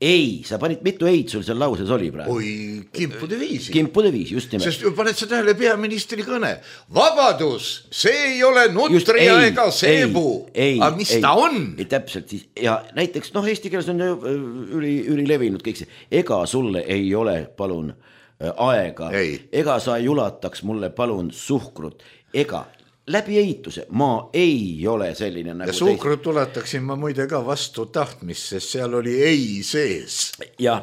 ei, sa panid mitu eid sul seal lauses oli praegu? Oi, kimpude viisi. Kimpude viisi, just nimelt. Sest paned sa tähele peaministri kõne. Vabadus, see ei ole nutria ega seebu. Aga mis ta on? Täpselt siis. Ja näiteks, eesti keeles on ülilevinud kõik see. Ega sulle ei ole, palun, aega. Ega sa ei ulataks mulle, palun, suhkrut. Ega läbi ehituse ma ei ole selline nagu ja suhkrut tuletaksin ma muide ka vastu tahtmist, sest seal oli ei sees. Ja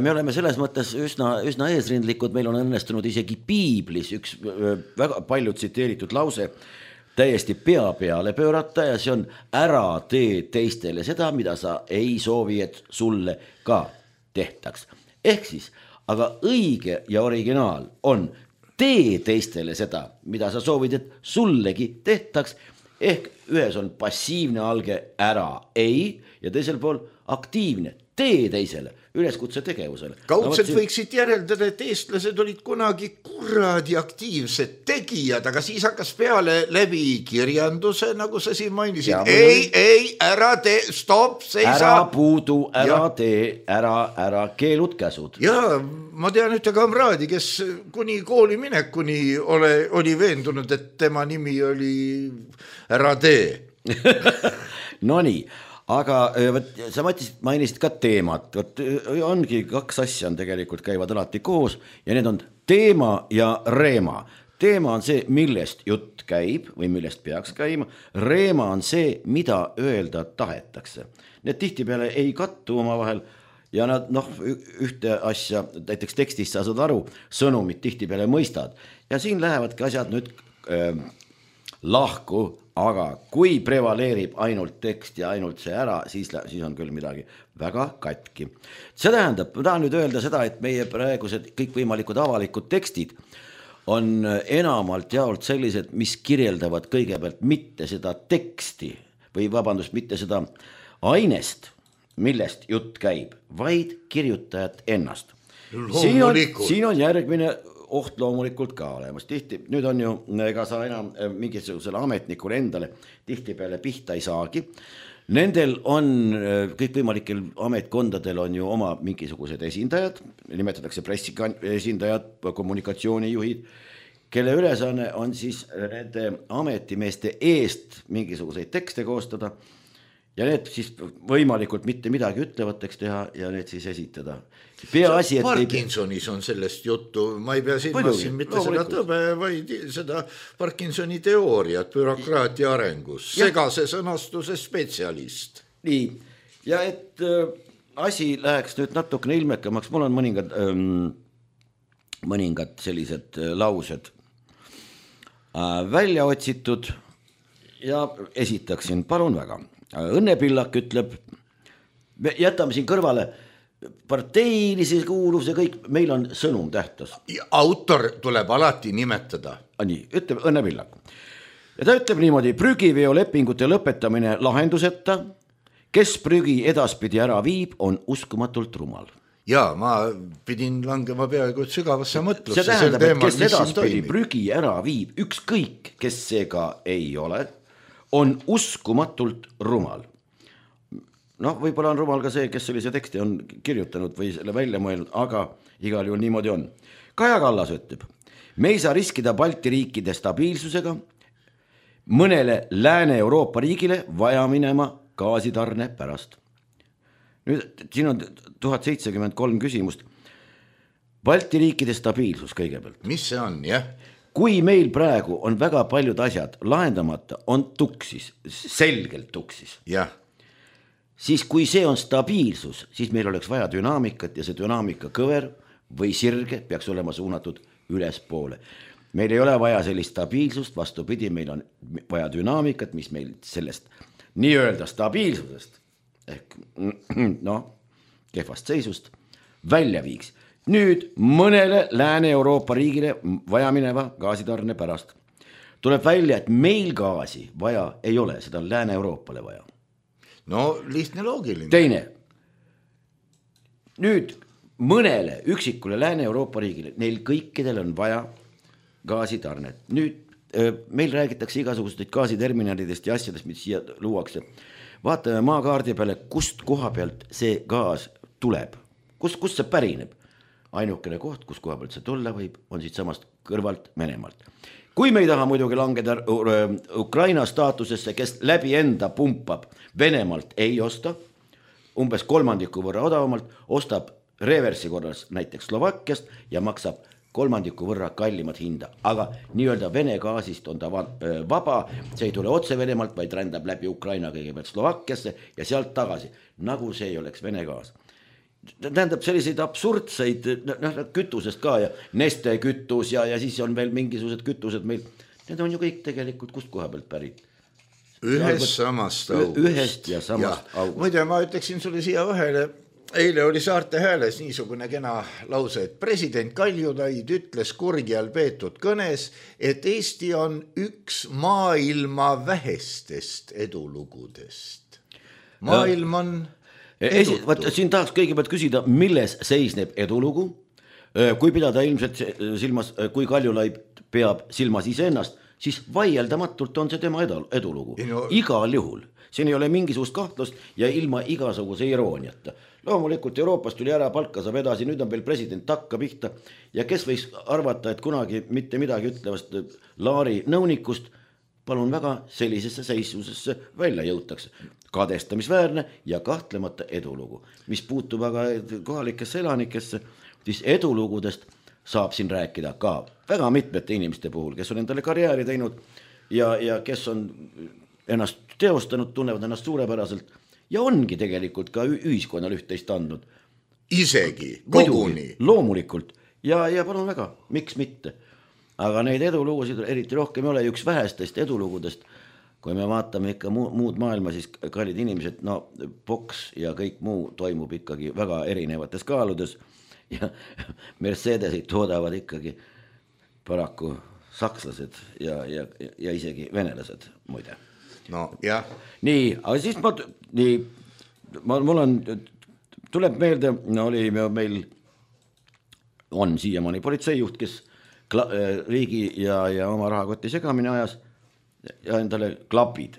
me oleme selles mõttes üsna eesrindlikud, meil on õnnestunud isegi piiblis üks väga palju tsiteeritud lause täiesti pea peale pöörata ja see on ära tee teistele seda, mida sa ei soovi, et sulle ka tehtaks. Ehk siis, aga õige ja originaal on tee teistele seda, mida sa soovid, et sullegi tehtaks, ehk ühes on passiivne alge ära ei ja teisel pool aktiivne tee teisele, üleskutse tegevusele. Kaudselt võiksid järeldada, et eestlased olid kunagi kuradi aktiivsed tegijad, aga siis hakkas peale läbi kirjanduse, nagu sa siin mainisid. Ei, ära tee, stopp, seisa. Ära puudu, ära tee, ära keelud käsud. Ja ma tean ühte kamraadi, kes kuni kooli minekuni oli veendunud, et tema nimi oli ära tee. No nii. Aga sa mainisid ka teemat, ongi kaks asja on tegelikult käivad alati koos ja need on teema ja reema. Teema on see, millest jutt käib või millest peaks käima, reema on see, mida öelda tahetakse. Need tihtipeale ei kattu oma vahel ja nad ühte asja, näiteks tekstist sa saad aru, sõnumid tihtipeale mõistad ja siin lähevadki asjad nüüd lahku. Aga kui prevaleerib ainult tekst ja ainult see ära, siis on küll midagi väga katki. See tähendab, ma tahan nüüd öelda seda, et meie praegused kõikvõimalikud avalikud tekstid on enamalt jaolt sellised, mis kirjeldavad kõigepealt mitte seda teksti või vabandust, mitte seda ainest, millest jutt käib, vaid kirjutajat ennast. Siin on järgmine oht loomulikult ka olemas. Nüüd on ju, ega sa enam mingisugusele ametnikule endale tihtipeale pihta ei saagi. Nendel on, kõikvõimalikel ametkondadel on ju oma mingisugused esindajad, nimetatakse pressiesindajad, kommunikatsioonijuhid, kelle ülesanne on siis nende ametimeeste eest mingisuguseid tekste koostada ja need siis võimalikult mitte midagi ütlevõtteks teha ja need siis esitada. Parkinsonis on sellest juttu, ma ei pea silmas mitte seda tõbe, vaid seda Parkinsoni teooriat bürokraatia arengus, segase sõnastuse spetsialist. Nii, ja et asi läheks nüüd natukene ilmekamaks, mul on mõningad sellised laused välja otsitud ja esitaksin, palun väga. Õnne Pillak ütleb, jätame siin kõrvale parteilise kuuluvuse kõik, meil on sõnum tähtas. Autor tuleb alati nimetada. Nii, ütleb Õnne Pillak. Ja ta ütleb niimoodi, prügiveo-lepingute lõpetamine lahenduseta, kes prügi edaspidi ära viib, on uskumatult rumal. Ja ma pidin langema peaaegu sügavasse mõtlusse. See tähendab, et kes edaspidi prügi ära viib, ükskõik, kes see ka ei ole, on uskumatult rumal. Võib-olla on rumal ka see, kes sellise teksti on kirjutanud või selle välja mõelnud, aga igal juhul niimoodi on. Kaja Kallas ütleb, me ei saa riskida Balti riikide stabiilsusega, mõnele Lääne-Euroopa riigile vaja minema gaasitarne pärast. Nüüd siin on 1073 küsimust. Balti riikide stabiilsus kõigepealt. Mis see on, jah? Kui meil praegu on väga paljud asjad lahendamata, on tuksis, selgelt tuksis. Jah. Siis kui see on stabiilsus, siis meil oleks vaja dünaamikat ja see dünaamika kõver või sirge peaks olema suunatud ülespoole. Meil ei ole vaja sellist stabiilsust, vastupidi, meil on vaja dünaamikat, mis meil sellest nii-öelda stabiilsusest ehk kehvast seisust välja viiks. Nüüd mõnele Lääne-Euroopa riigile vaja mineva gaasitarne pärast. Tuleb välja, et meil gaasi vaja ei ole, seda on Lääne-Euroopale vaja. No lihtne loogiline. Teine. Nüüd mõnele üksikule Lääne-Euroopa riigile, neil kõikidel on vaja gaasitarnet. Nüüd meil räägitakse igasugustest gaasiterminalidest ja asjadest, mis siia luuakse. Vaatame maakaardi peale, kust koha pealt see gaas tuleb, kust see pärineb? Ainukene koht, kus koha pealt see tulla võib, on siit samast kõrvalt Venemaalt. Kui me ei taha muidugi langeda Ukraina staatusesse, kes läbi enda pumpab Venemaalt ei osta, umbes 3% võrra odavamalt, ostab reversi korras näiteks Slovakkiast ja maksab 3% võrra kallimat hinda, aga nii-öelda Vene gaasist on ta vaba, see ei tule otse Venemaalt, vaid rändab läbi Ukraina kõigepealt Slovakkiasse ja sealt tagasi, nagu see ei oleks Vene gaas. Tähendab selliseid absurdseid kütusest ka ja Neste kütus ja siis on veel mingisugused kütused meil, need on ju kõik tegelikult kust koha pealt pärit? Ühest samast august. Ühest ja samast august. Muide, ma ütleksin sulle siia vahele, eile oli Saarte Hääles niisugune kena lause, et president Kaljulaid ütles Kurgjal peetud kõnes, et Eesti on üks maailma vähestest edulugudest. Maailm on edutu. Siin tahaks kõigepealt küsida, milles seisneb edulugu, kui pidada ilmselt silmas, kui Kaljulaid peab silmas iseennast, siis vaieldamatult on see tema edulugu. Igal juhul. Siin ei ole mingisugust kahtlust ja ilma igasuguse irooniata. Loomulikult Euroopas tuli ära, palka saab edasi, nüüd on veel president takka pihta ja kes võiks arvata, et kunagi mitte midagi ütlevast Laari nõunikust palun väga sellisesse seisusesse välja jõutakse. Kadestamisväärne ja kahtlemata edulugu. Mis puutub aga kohalikesse elanikesse, siis edulugudest saab siin rääkida ka väga mitmete inimeste puhul, kes on endale karjääri teinud ja kes on ennast teostanud, tunnevad ennast suurepäraselt ja ongi tegelikult ka ühiskonnal üht-teist andnud. Isegi, koguni. Loomulikult ja palun väga, miks mitte. Aga neid edulugusid eriti rohkem ei ole, üks vähestest edulugudest, kui me vaatame ikka muud maailma, siis kallid inimesed, boks ja kõik muu toimub ikkagi väga erinevates kaaludes ja Mercedesid toodavad ikkagi paraku sakslased ja isegi venelased muide. No, jah. Nii, aga siis mul on, tuleb meelde, oli meil, on siiamaani politseijuht, kes riigi ja oma rahakoti segamini ajas ja endale klapid.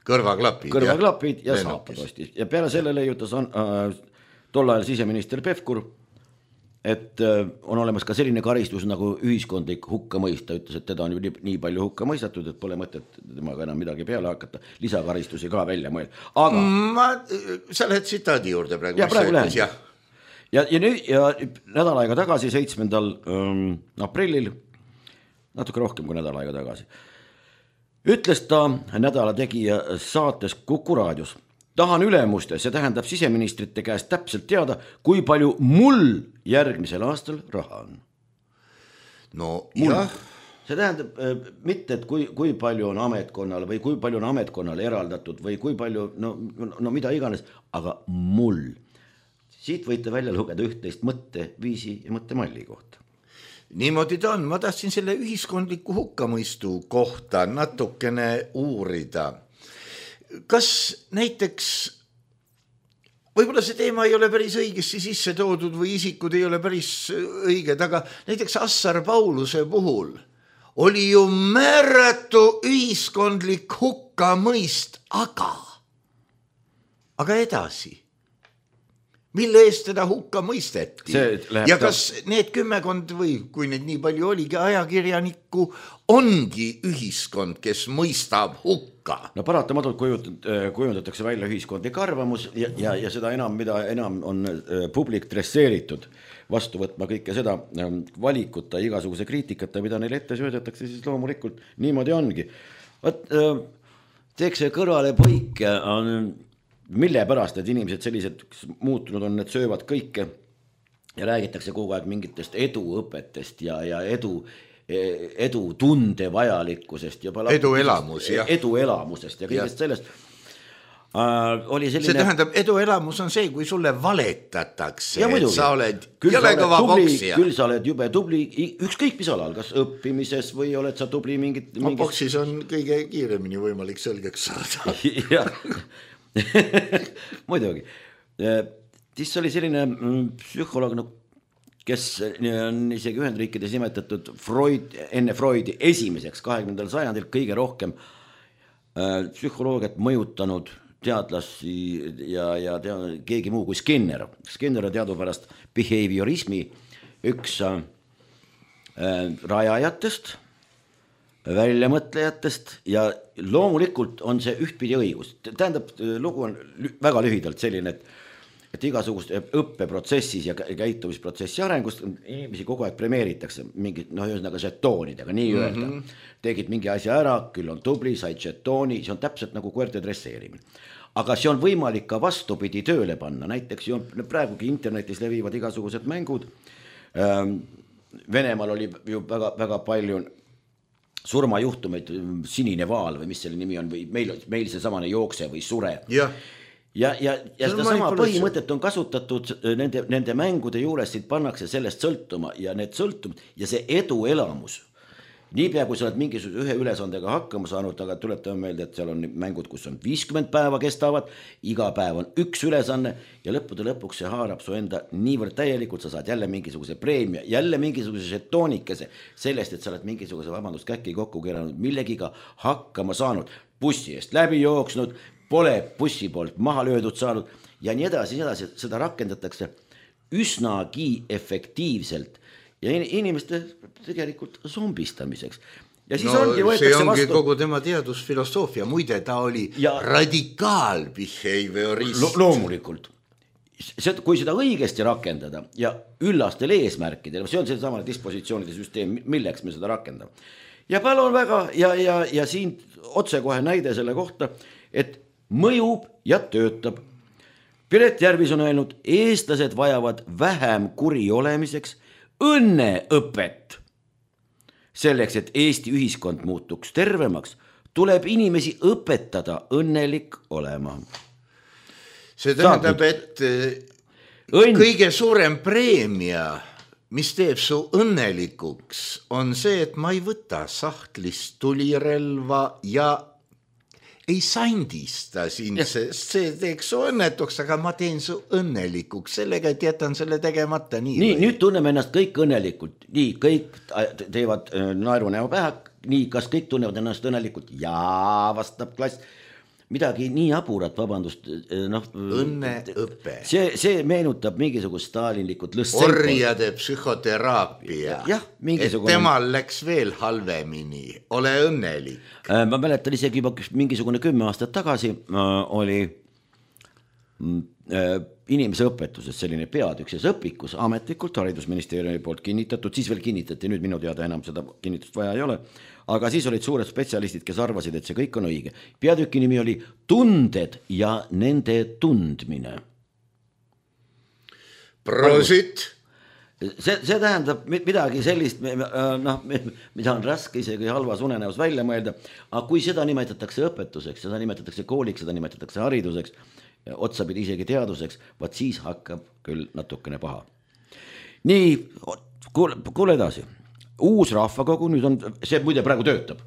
Kõrvaklapid ja saapad ostis. Ja peale selle leiutas tol ajal siseminister Pevkur, et on olemas ka selline karistus nagu ühiskondlik hukkamõist. Ta ütles, et teda on ju nii palju hukka mõistatud, et pole mõtet temaga enam midagi peale hakata. Lisakaristusi ka välja mõelda. Aga sa lähed tsitaadi juurde praegu. Ja praegu lähen. Ja nädal aega tagasi, 7. aprillil, natuke rohkem kui nädal aega tagasi, ütles ta nädala tegija saates Kuku raadios. Tahan ülemuste, see tähendab siseministrite käest täpselt teada, kui palju mul järgmisel aastal raha on. No jah. See tähendab mitte, et kui palju on ametkonnal või kui palju on ametkonnal eraldatud või kui palju, no mida iganes, aga mul. Siit võite välja lugeda üht-teist mõtteviisi ja mõttemalli kohta. Niimoodi ta on, ma tahtsin selle ühiskondliku hukkamõistu kohta natukene uurida. Kas näiteks, võib-olla see teema ei ole päris õigesti sisse toodud või isikud ei ole päris õiged, aga näiteks Assar Pauluse puhul oli ju määratu ühiskondlik hukkamõist, aga edasi. Mille eest teda hukka mõisteti? Ja kas need 10 või kui need nii palju oligi ajakirjanikku, ongi ühiskond, kes mõistab hukka? No paratamatult kujundatakse välja ühiskondlik arvamus ja seda enam, mida enam on publik dresseeritud vastu võtma kõike seda valikuta igasuguse kriitikata, mida neile ette söödetakse, siis loomulikult niimoodi ongi. Teeks see kõrvale põike mille pärast need inimesed sellised muutunud on, need söövad kõike ja räägitakse kogu aeg mingitest eduõpetest ja edu tunde vajalikkusest ja eduelamusest ja kõigest sellest. Oli selline... See tähendab, eduelamus on see, kui sulle valetatakse, et sa oled jõle kõva poksija. Küll sa oled jube tubli, ükskõik mis alal, kas õppimises või oled sa tubli mingit... Boksis on kõige kiiremini võimalik selgeks saada. Jah. Muidugi. Siis oli selline psühholoog, kes on isegi Ühendriikides nimetatud enne Freudi esimeseks 20. sajandil kõige rohkem psühholoogiat mõjutanud teadlasi ja keegi muu kui Skinner. Skinner on teadupärast behaviorismi üks rajajatest, väljamõtlejatest ja loomulikult on see ühtpidi õigus. Tähendab, lugu on väga lühidalt selline, et igasugust õppeprotsessis ja käitumisprotsessi arengust inimesi kogu aeg premeeritakse mingid, ühesõnaga žetoonidega, nii öelda. Tegid mingi asja ära, küll on tubli, said žetooni, see on täpselt nagu koerte dresseerimine. Aga see on võimalik ka vastupidi tööle panna, näiteks praegugi internetis levivad igasugused mängud. Venemaal oli ju väga palju surmajuhtumeid, sinine vaal või mis selle nimi on, või meil see samane jookse või sure. Ja seda sama põhimõtet on kasutatud nende mängude juures, siit pannakse sellest sõltuma ja need sõltumid ja see eduelamus. Niipea, kui sa oled mingisuguse ühe ülesandega hakkama saanud, aga tuletame meelde, et seal on mängud, kus on 50 päeva kestavad, iga päev on üks ülesanne ja lõppude lõpuks see haarab su enda niivõrd täielikult, sa saad jälle mingisuguse preemia, jälle mingisuguse žetoonikese sellest, et sa oled mingisuguse käki kokku keeranud, millegiga hakkama saanud, bussi eest läbi jooksnud, pole bussi poolt maha löödud saanud ja nii edasi, seda rakendatakse üsnagi efektiivselt ja inimeste tegelikult zombistamiseks. Ja siis see ongi kogu tema teadusfilosoofia, muide ta oli radikaalbehaviorist. Loomulikult. Kui seda õigesti rakendada ja üllastel eesmärkidel, see on see samane dispositsioonide süsteem, milleks me seda rakendame. Ja palun väga ja siin otsekohe näide selle kohta, et mõjub ja töötab. Piret Järvis on öelnud, eestlased vajavad vähem kuri olemiseks õnneõpet. Selleks, et Eesti ühiskond muutuks tervemaks, tuleb inimesi õpetada õnnelik olema. See tähendab, et kõige suurem preemia, mis teeb su õnnelikuks, on see, et ma ei võta sahtlist tulirelva ja ei sandista sind, sest see teeks su õnnetuks, aga ma teen su õnnelikuks sellega, et jätan selle tegemata nii. Nii, nüüd tunneme ennast kõik õnnelikult. Nii, kõik teevad naeru näo pähe. Nii, kas kõik tunnevad ennast õnnelikult? Jaa, vastab klass. Midagi nii aburat, vabandust. Õnneõpe. See meenutab mingisugust stalinlikud orjade psühhoteraapia. Jah, mingisugune. Et temal läks veel halvemini. Ole õnnelik. Ma mäletan isegi mingisugune 10 aastat tagasi oli inimese õpetuses selline peatükses õpikus ametlikult haridusministeeriumi poolt kinnitatud, siis veel kinnitati, nüüd minu teada enam seda kinnitust vaja ei ole, aga siis olid suured spetsialistid, kes arvasid, et see kõik on õige. Peatüki nimi oli Tunded ja nende tundmine. Prosit! See tähendab midagi sellist, mida on raske isegi halvas unenäos välja mõelda, aga kui seda nimetatakse õpetuseks, seda nimetatakse kooliks, seda nimetatakse hariduseks, otsapidi isegi teaduseks, vaat siis hakkab küll natukene paha. Nii, kuule edasi. Uus rahvakogu, nüüd on, see muide praegu töötab.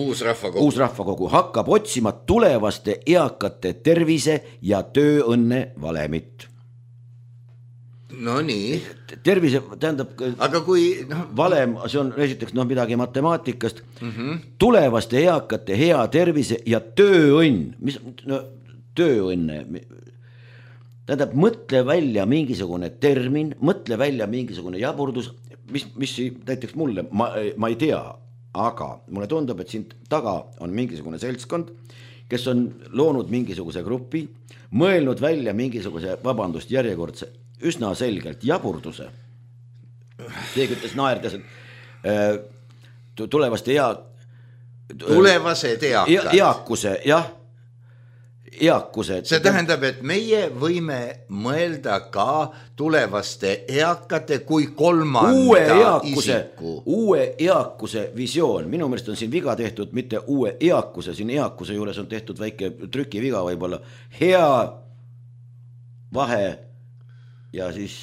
Uus rahvakogu hakkab otsima tulevaste eakate tervise ja tööõnne valemit. No nii. Tervise, tähendab, aga kui valem, see on esiteks midagi matemaatikast, tulevaste eakate hea tervise ja tööõnn, mis tööõnne, tähendab, mõtle välja mingisugune termin, mõtle välja mingisugune jaburdus, mis näiteks mulle, ma ei tea, aga mulle tundub, et siin taga on mingisugune seltskond, kes on loonud mingisuguse grupi, mõelnud välja mingisuguse, vabandust, järjekordse, üsna selgelt jaburduse. Keegi ütles naerdes, et tulevased eakuse, jah, eakuse. See tähendab, et meie võime mõelda ka tulevaste eakate kui kolmanda isiku. Uue eakuse visioon. Minu meelest on siin viga tehtud, mitte uue eakuse. Siin eakuse juures on tehtud väike trükiviga võib-olla. Hea vahe ja siis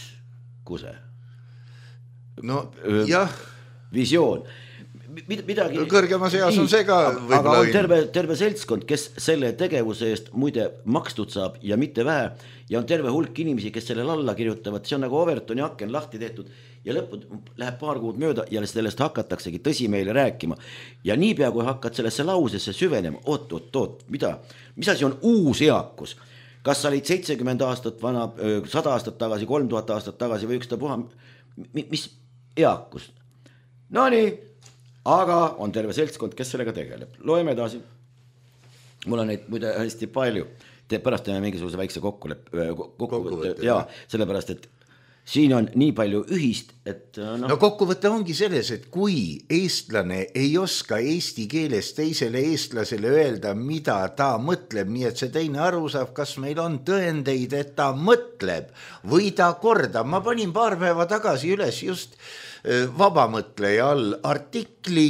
kuse. No jah. Visioon. midagi. Kõrgemas eas on see ka aga on terve seltskond, kes selle tegevuse eest muide makstud saab ja mitte vähe ja on terve hulk inimesi, kes sellele alla kirjutavad, see on nagu Overtoni aken lahti tehtud ja lõpud läheb paar kuud mööda ja sellest hakataksegi tõsi meile rääkima ja niipea kui hakkad sellesse lausesse süvenema, oot, mis asi on uus eakus, kas sa olid 70 aastat vana, 100 aastat tagasi, 3000 aastat tagasi või ükstapuha, mis eakus? No nii, aga on terve seltskond, kes sellega tegeleb. Loeme edasi. Mul on neid muide hästi palju. Pärast teeme mingisuguse väikse kokkuvõtte. Jaa, sellepärast, et siin on nii palju ühist, et no kokkuvõte ongi selles, et kui eestlane ei oska eesti keeles teisele eestlasele öelda, mida ta mõtleb, nii et see teine aru saab, kas meil on tõendeid, et ta mõtleb või ta kordab. Ma panin paar päeva tagasi üles just vabamõtleja all artikli,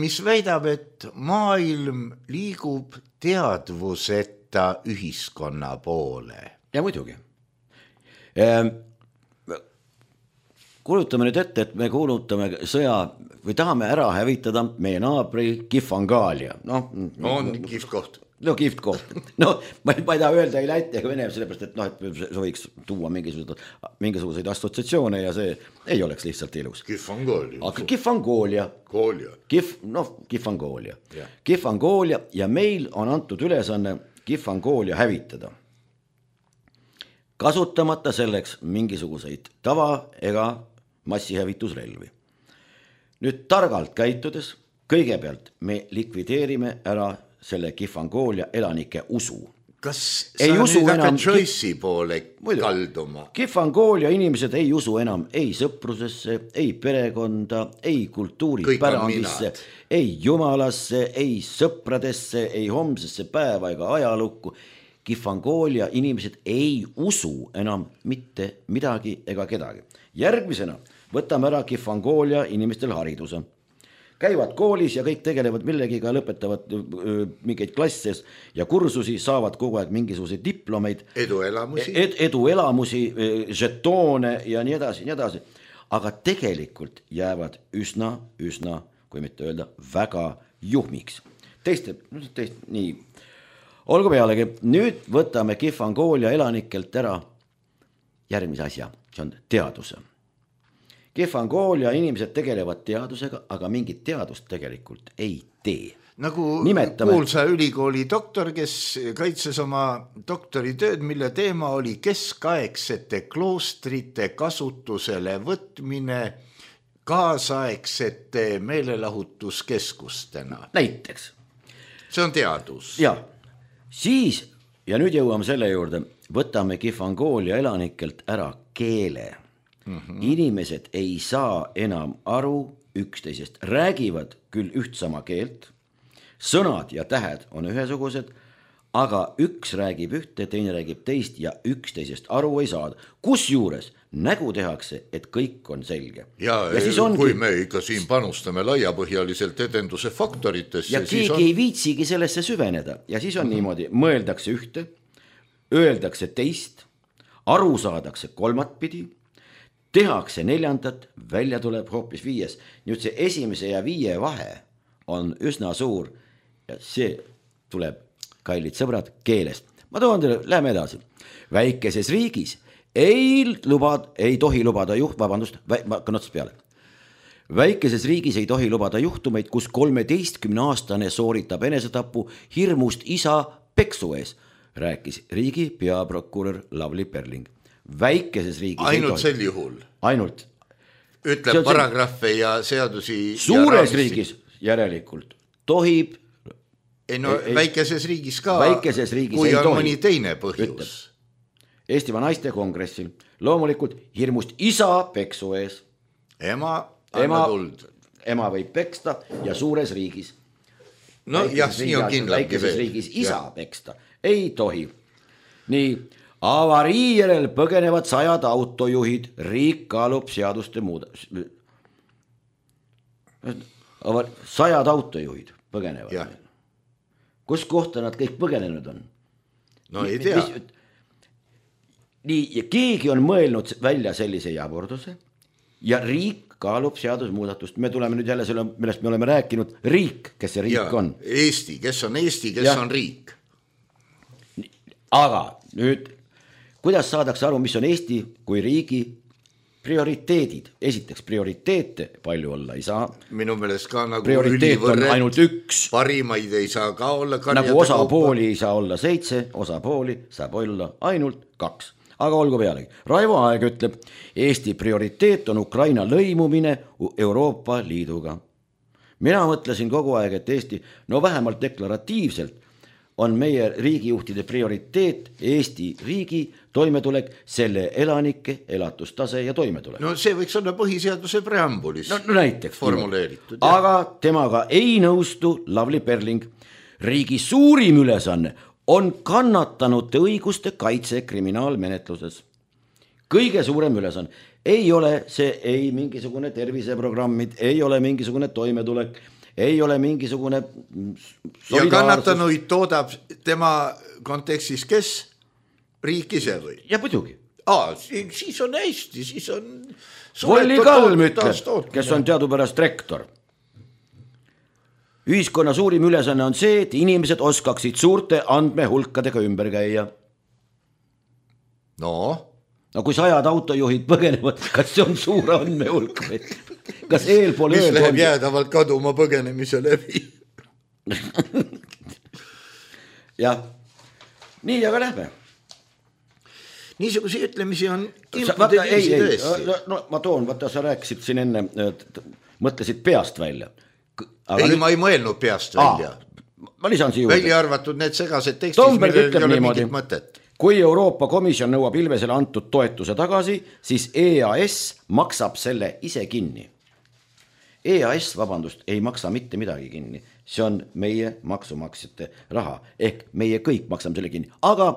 mis väidab, et maailm liigub teadvuseta ühiskonna poole. Ja muidugi. Kuulutame nüüd ette, et me kuulutame sõja või tahame ära hävitada meie naabri Kihvangaalia. On kihvt koht. No kihvt koht. No ma ei taha öelda ei Läti ega Vene, sellepärast, et see võiks tuua mingisuguseid assotsiatsioone ja see ei oleks lihtsalt ilus. Kihvangoolia. Aga Kihvangoolia. Kihvangoolia. Kihvangoolia ja meil on antud ülesanne Kihvangoolia hävitada. Kasutamata selleks mingisuguseid tava ega massihävitusrelvi. Nüüd targalt käitudes, kõigepealt me likvideerime ära selle Kihvangoolia elanike usu. Kas sa nüüd hakkad Joyce'i poole kalduma? Kihvangoolia inimesed ei usu enam ei sõprusesse, ei perekonda, ei kultuuripärandisse, ei jumalasse, ei sõpradesse, ei homsesse päeva ega ajalukku. Kihvangoolia inimesed ei usu enam mitte midagi ega kedagi. Järgmisena võtame ära Kihvangoolia inimestel hariduse. Käivad koolis ja kõik tegelevad millegiga, lõpetavad mingeid klasses ja kursusi, saavad kogu aeg mingisuguseid diplomeid. Eduelamusi, žetoone ja nii edasi. Aga tegelikult jäävad üsna, kui mitte öelda, väga juhmiks. Nii. Olgu pealegi, nüüd võtame Kihvangoolia elanikelt ära järgmise asja, see on teaduse. Kihvangoolia inimesed tegelevad teadusega, aga mingit teadust tegelikult ei tee. Nagu kuulsa ülikooli doktor, kes kaitses oma doktoritööd, mille teema oli keskaegsete kloostrite kasutusele võtmine kaasaegsete meelelahutuskeskustena. Näiteks. See on teadus. Jaa. Siis, ja nüüd jõuame selle juurde, võtame Kihvangoolia elanikelt ära keele. Inimesed ei saa enam aru üksteisest, räägivad küll ühtsama keelt, sõnad ja tähed on ühesugused, aga üks räägib ühte, teine räägib teist ja üksteisest aru ei saada. Kusjuures nägu tehakse, et kõik on selge. Ja kui me ikka siin panustame laiapõhjaliselt edenduse faktoritesse, ja keegi ei viitsigi sellesse süveneda ja siis on niimoodi, mõeldakse ühte, öeldakse teist, aru saadakse kolmatpidi, tehakse neljandat, välja tuleb hoopis 5. Nüüd see 1. ja 5 vahe on üsna suur ja see tuleb, kallid sõbrad, keelest. Ma toon teile, läheme edasi. Väikeses riigis ei tohi lubada Väikeses riigis ei tohi lubada juhtumeid, kus 13-aastane sooritab enesetapu hirmust isa peksu ees, rääkis riigi peaprokurör Lavly Perling. Väikeses riigis ainult sel juhul. Ainult. Ütleb paragrahve ja seadusi. Suures riigis järelikult tohib. Väikeses riigis ka, kui on mõni teine põhjus. Eestimaa naiste kongressil loomulikult hirmust isa peksu ees. Ema anna tuld. Ema võib peksta ja suures riigis. No jah, nii on kindlasti veel. Väikeses riigis isa peksta ei tohi. Nii. Avarii järel põgenevad 100 autojuhid, riik kaalub seaduste muuda. 100 autojuhid põgenevad. Ja. Kus kohta nad kõik põgenenud on? No ei tea. Nii, ja keegi on mõelnud välja sellise jaburduse, ja riik kaalub seadusmuudatust. Me tuleme nüüd jälle selle, millest me oleme rääkinud, riik, kes see riik on. Eesti, kes on Eesti, kes on riik. Aga nüüd, kuidas saadakse aru, mis on Eesti kui riigi prioriteedid? Esiteks, prioriteete palju olla ei saa. Minu meelest ka nagu prioriteet on ainult üks. Parimaid ei saa ka olla. Nagu osapooli ei saa olla 7, osapooli saab olla ainult 2. Aga olgu pealegi. Raivo Aeg ütleb, Eesti prioriteet on Ukraina lõimumine Euroopa Liiduga. Mina mõtlesin kogu aeg, et Eesti, no vähemalt deklaratiivselt, on meie riigijuhtide prioriteet Eesti riigi toimetulek, selle elanike elatustase ja toimetulek. No see võiks olla põhiseaduse preambulis no näiteks formuleeritud. Aga temaga ei nõustu Lavly Perling. Riigi suurim ülesanne on kannatanute õiguste kaitse kriminaalmenetluses. Kõige suurem ülesanne. Ei ole see ei mingisugune terviseprogrammid, ei ole mingisugune toimetulek, ei ole mingisugune solidaarsus. Ja kannatanuid toodab tema kontekstis kes? Riik ise või? Ja muidugi. Siis on hästi, siis on... Volli Kalm ütleb, kes on teadupärast rektor. Ühiskonna suurim ülesanne on see, et inimesed oskaksid suurte andmehulkadega ümber käia. No kui 100 autojuhid põgenevad, kas see on suur andmehulk või? Kas eelpool mis läheb jäädavalt kaduma põgenemise läbi? Jah. Nii, aga lähme. Niisuguse ütlemisi on no ma toon, vaata sa rääkisid siin enne, mõtlesid peast välja. Ma ei mõelnud peast välja. Ma lisan siia juurde. Välja arvatud need segased tekstis, millel ei ole mingit mõtet. Kui Euroopa Komisjon nõuab Ilvesele antud toetuse tagasi, siis EAS maksab selle ise kinni. EAS, vabandust, ei maksa mitte midagi kinni. See on meie maksumaksjate raha. Ehk meie kõik maksame selle kinni. Aga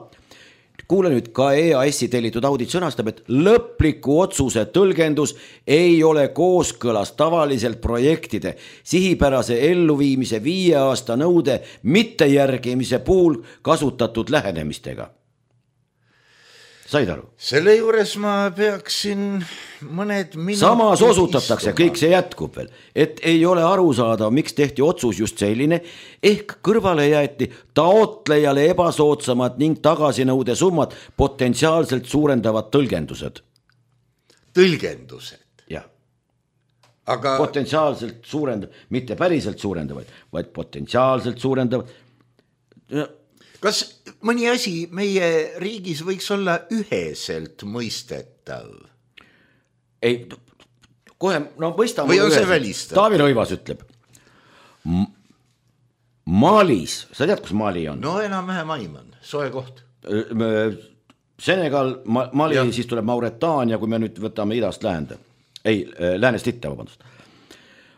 kuule nüüd, ka EAS-i tellitud audit sõnastab, et lõpliku otsuse tõlgendus ei ole kooskõlas tavaliselt projektide sihipärase elluviimise 5 aasta nõude mittejärgimise puhul kasutatud lähenemistega. Said aru? Selle juures ma peaksin mõned minutid samas osutatakse, kõik see jätkub veel, et ei ole aru saada, miks tehti otsus just selline, ehk kõrvale jäeti taotlejale ebasoodsamad ning tagasinõude summad potentsiaalselt suurendavad tõlgendused. Tõlgendused? Jah. Aga... potentsiaalselt suurendavad, mitte päriselt suurendavad, vaid potentsiaalselt suurendavad. Kas mõni asi meie riigis võiks olla üheselt mõistetav? Ei, kohe, no mõistame. Või on see välistav? Taavi Rõivas ütleb. Malis, sa tead, kus Mali on? No enam-vähem aiman, soe koht. Senegal, Mali, siis tuleb Mauretaania, kui me nüüd võtame idast läände. Ei, läänest itta, vabandust.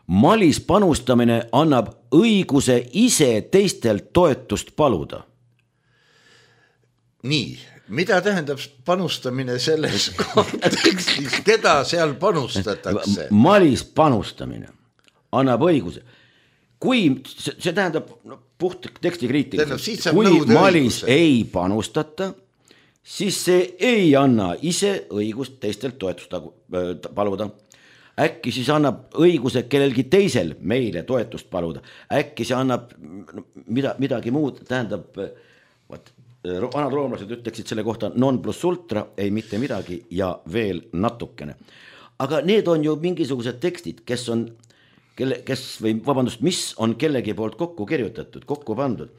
Malis panustamine annab õiguse ise teistelt toetust paluda. Nii, mida tähendab panustamine selles kontekstis, keda seal panustatakse? Malis panustamine annab õiguse. Kui see tähendab puht tekstikriitiliselt, kui Malis ei panustata, siis see ei anna ise õigust teistelt toetust paluda. Äkki siis annab õiguse kellelgi teisel meile toetust paluda. Äkki see annab midagi muud, tähendab, vanad roomlased ütleksid selle kohta non plus ultra, ei mitte midagi ja veel natukene. Aga need on ju mingisugused tekstid, mis on kellegi poolt kokku kirjutatud, kokku pandud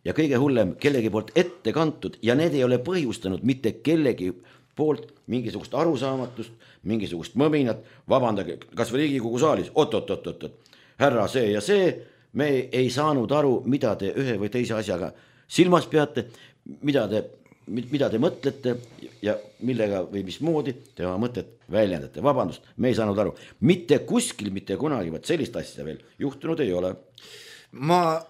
ja kõige hullem kellegi poolt ette kantud ja need ei ole põhjustanud mitte kellegi poolt mingisugust arusaamatust, mingisugust mõminat, vabandage, kas või Riigikogu saalis, oot, härra see ja see, me ei saanud aru, mida te ühe või teise asjaga silmas peate, mida te mõtlete ja millega või mismoodi te oma mõtet väljendate. Vabandust, me ei saanud aru. Mitte kuskil, mitte kunagi, vaid sellist asja veel juhtunud ei ole. Ma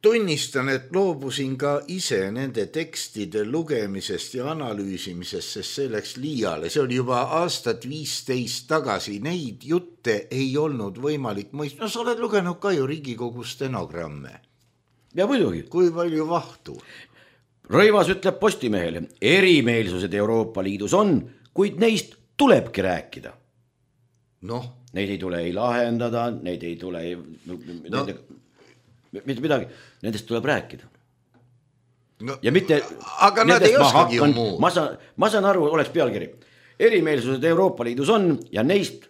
tunnistan, et loobusin ka ise nende tekstide lugemisest ja analüüsimisest, sest see läks liiale. See oli juba aastat 15 tagasi. Neid jutte ei olnud võimalik mõista. No sa oled lugenud ka ju Riigikogu stenogramme. Ja muidugi. Kui palju vahtu? Rõivas ütleb Postimehele, erimeelsused Euroopa Liidus on, kuid neist tulebki rääkida. Noh. Neid ei tule ei lahendada, neid ei tule mitte midagi, nendest tuleb rääkida. No, ja mitte, aga nad ei oskagi ju muu. Ma saan aru, oleks pealkiri. Erimeelsused Euroopa Liidus on ja neist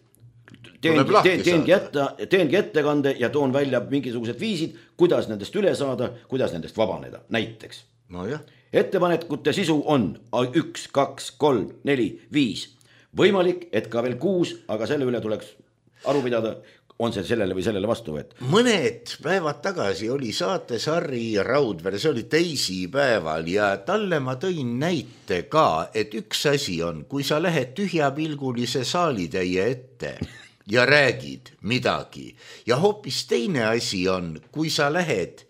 teengi ettekande ja toon välja mingisugused viisid, kuidas nendest üle saada, kuidas nendest vabaneda. Näiteks no jah. Ettepanekute sisu on 1, 2, 3, 4, 5. Võimalik, et ka veel 6, aga selle üle tuleks aru pidada, on see sellele või sellele vastu võet. Mõned päevad tagasi oli saates Harri Raudvere, see oli teisipäeval ja talle ma tõin näite ka, et üks asi on, kui sa lähed tühjapilgulise saalitäie ette ja räägid midagi ja hoopis teine asi on, kui sa lähed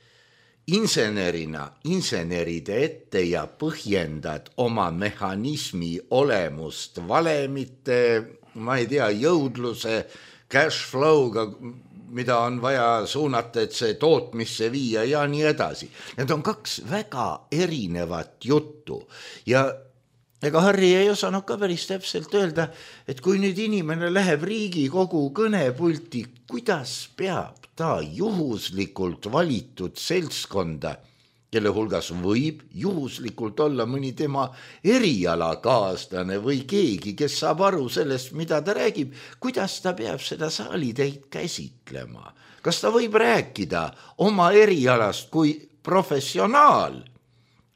inseneride ette ja põhjendad oma mehhanismi olemust valemite, ma ei tea, jõudluse, cash flow'ga, mida on vaja suunata, et see tootmisse viia ja nii edasi. Need on 2 väga erinevat juttu ja ega Harri ei osanud ka päris täpselt öelda, et kui nüüd inimene läheb Riigikogu kõnepulti, kuidas peab ta juhuslikult valitud seltskonda, kelle hulgas võib juhuslikult olla mõni tema erialakaaslane või keegi, kes saab aru sellest, mida ta räägib, kuidas ta peab seda saalitäit käsitlema. Kas ta võib rääkida oma erialast kui professionaal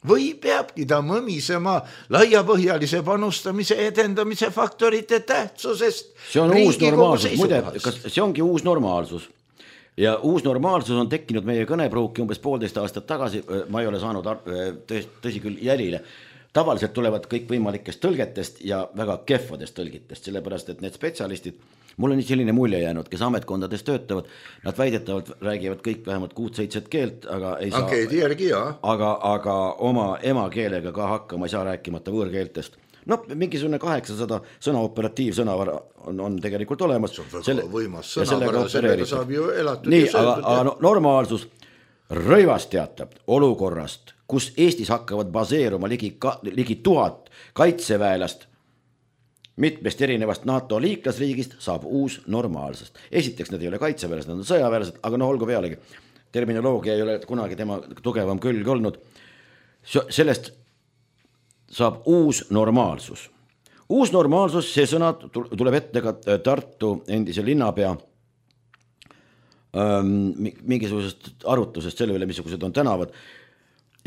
või peabki ta mõmisema laiapõhjalise panustamise edendamise faktorite tähtsusest? See on uus normaalsus, muide, see ongi uus normaalsus. Ja uus normaalsus on tekkinud meie kõnepruuki umbes 1,5 aastat tagasi, ma ei ole saanud tõsi küll jälile. Tavaliselt tulevad kõik võimalikest tõlgetest ja väga kehvadest tõlgitest, sellepärast et need spetsialistid, mul on selline mulje jäänud, kes ametkondades töötavad, nad väidetavalt räägivad kõik vähemalt 6-7 keelt, aga ei saa, aga oma emakeelega ka hakkama ei saa rääkimata võõrkeeltest. No mingisugune 800 sõna operatiivsõnavara on tegelikult olemas. See on väga võimas sõnavara, sellega saab ju elatud. Nii, aga normaalsus. Rõivas teatab olukorrast, kus Eestis hakkavad baseeruma ligi 1000 kaitseväelast mitmest erinevast NATO liiklasriigist, saab uus normaalsust. Esiteks need ei ole kaitseväelased, nad on sõjaväelased, aga olgu pealegi. Terminoloogia ei ole kunagi tema tugevam külg olnud. Sellest saab uus normaalsus. Uus normaalsus, see sõna tuleb ette ka Tartu endise linnapea mingisugusest arutusest selle üle, missugused on tänavad.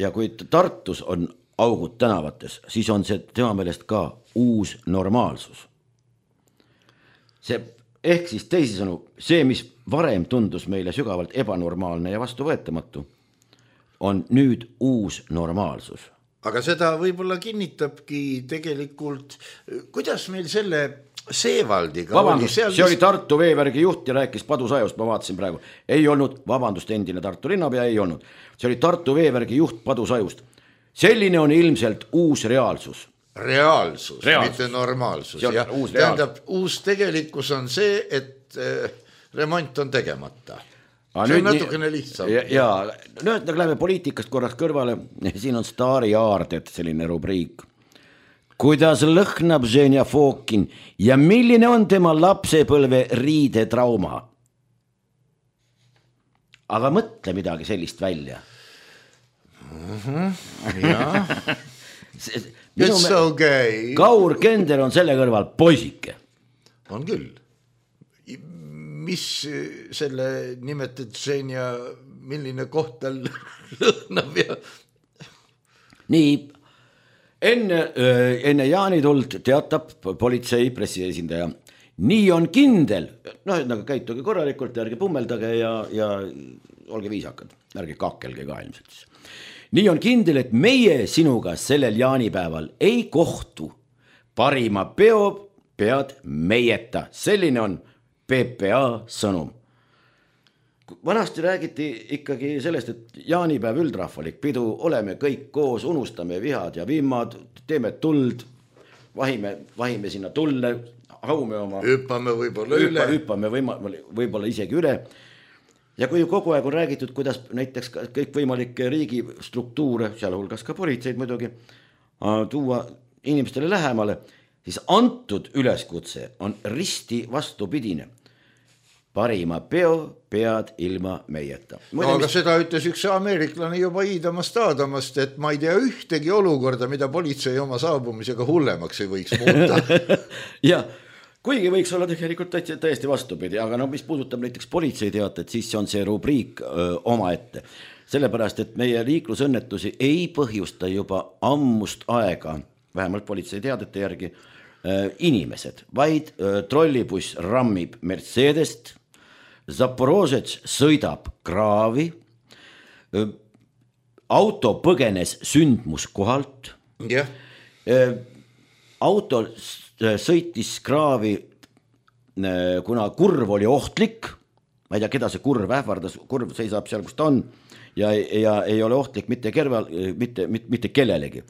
Ja kui Tartus on augud tänavates, siis on see tema meelest ka uus normaalsus. Ehk siis teisisõnu, see, mis varem tundus meile sügavalt ebanormaalne ja vastuvõetamatu, on nüüd uus normaalsus. Aga seda võib-olla kinnitabki tegelikult, kuidas meil selle Seevaldiga vabandust, oli. See oli Tartu veevärgi juht ja rääkis Padusajust, ma vaatasin praegu. Ei olnud, vabandust, endine Tartu linnapea ei olnud. See oli Tartu veevärgi juht Padusajust. Selline on ilmselt uus reaalsus. Reaalsus. Mitte normaalsus. Tähendab, uus tegelikkus on see, et remont on tegemata. See on natukene lihtsam. Ja nüüd läheme poliitikast korraks kõrvale. Siin on Staari Aardet, selline rubriik. Kuidas lõhnab Ženja Fokin ja milline on tema lapsepõlve riidetrauma? Aga mõtle midagi sellist välja. Jah. It's okay. Kaur Kender on selle kõrval poisike. On küll. Mis selle nimetad Ženja, milline koht tal lõhnab ja... Nii, enne jaanituld teatab politsei pressiesindaja. Nii on kindel, nagu käituge korralikult, ärge pummeldage ja olge viisakad, ärge kakelge ka ilmselt. Nii on kindel, et meie sinuga sellel jaanipäeval ei kohtu. Parima peo pead meieta, selline on PPA sõnum. Vanasti räägiti ikkagi sellest, et jaanipäev üldrahvalik pidu, oleme kõik koos, unustame vihad ja vimmad, teeme tuld, vahime sinna tulle, haume oma... Hüppame võib-olla üle. Hüppame võib-olla isegi üle. Ja kui kogu aeg on räägitud, kuidas näiteks kõik võimalikke riigistruktuure, sealhulgas ka politseid muidugi, tuua inimestele lähemale, siis antud üleskutse on risti vastupidine. Parima peo pead ilma meieta. Aga seda ütles üks ameeriklane juba Iidamast Aadamast, et ma ei tea ühtegi olukorda, mida politsei oma saabumisega hullemaks ei võiks muuta. Ja kuigi võiks olla tegelikult täiesti vastupidi, aga mis puudutab näiteks politseiteatet, siis on see rubriik omaette. Sellepärast, et meie liiklusõnnetusi ei põhjusta juba ammust aega, vähemalt politseiteadete järgi, inimesed, vaid trollibuss rammib Mercedest, Zaporožets sõidab kraavi, auto põgenes sündmuskohalt, auto sõitis kraavi, kuna kurv oli ohtlik, ma ei tea, keda see kurv ähvardas, kurv seisab seal, kus ta on, ja ei ole ohtlik mitte kellelegi.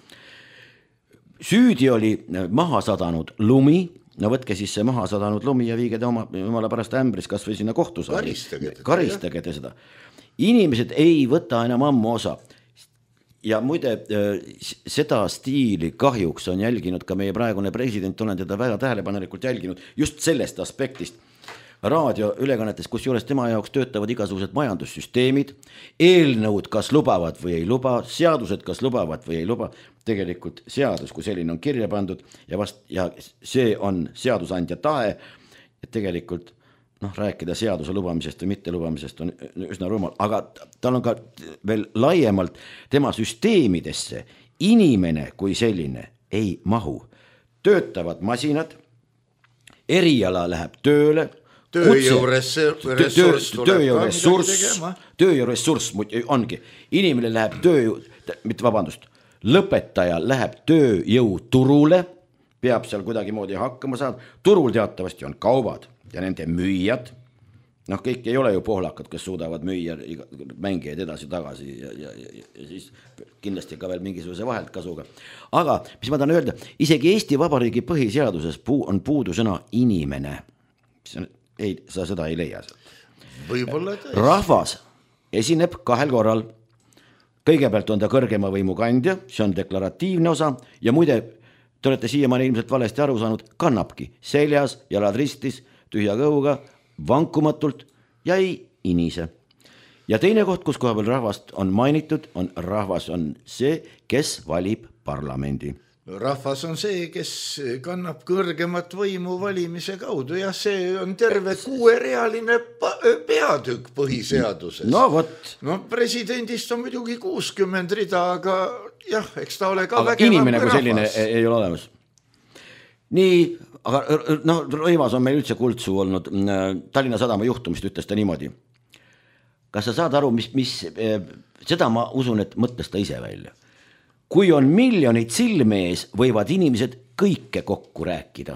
Süüdi oli maha sadanud lumi, no võtke siis see maha sadanud lumi ja viige ta omale pärast ämbris kas või sinna kohtusaali. Karistage te seda. Inimesed ei võta enam ammu osa. Ja muide, seda stiili kahjuks on jälginud ka meie praegune president, olen teda väga tähelepanelikult jälginud just sellest aspektist. Raadioülekannetes, kus juures tema jaoks töötavad igasugused majandussüsteemid, eelnõud kas lubavad või ei luba, seadused kas lubavad või ei luba, tegelikult seadus, kui selline on kirja pandud ja see on seadusandja tahe, et tegelikult rääkida seaduse lubamisest või mitte lubamisest on üsna rumal, aga tal on ka veel laiemalt tema süsteemidesse inimene kui selline ei mahu. Töötavad masinad, eriala läheb tööle, tööjõuressurss ongi, inimene läheb lõpetaja läheb tööjõuturule, peab seal kuidagi moodi hakkama saada, turul teatavasti on kaubad ja nende müüjad, kõik ei ole ju pohlakad, kes suudavad müüa mängijaid edasi-tagasi ja siis kindlasti ka veel mingisuguse vaheltkasuga. Aga mis ma tahan öelda, isegi Eesti Vabariigi põhiseaduses on puudu sõna inimene. Sa seda ei leia sealt. Rahvas esineb 2 korral. Kõigepealt on ta kõrgema võimu kandja, see on deklaratiivne osa ja muide, te olete siiamaani ilmselt valesti aru saanud, kannabki seljas, jalad ristis, tühja kõhuga, vankumatult ja ei inise. Ja teine koht, kus koha peal rahvast on mainitud, rahvas on see, kes valib parlamendi. Rahvas on see, kes kannab kõrgemat võimu valimise kaudu ja see on terve 6-realine peatükk põhiseaduses. Presidendist on muidugi 60 rida, aga jah, eks ta ole ka vägevam inimene kui selline ei ole olemas. Nii, aga Rõivas on meil üldse kuldsuu olnud. Tallinna Sadama juhtumist ütles ta niimoodi. Kas sa saad aru, mis seda ma usun, et mõtles ta ise välja. Kui on miljonid silmees, võivad inimesed kõike kokku rääkida.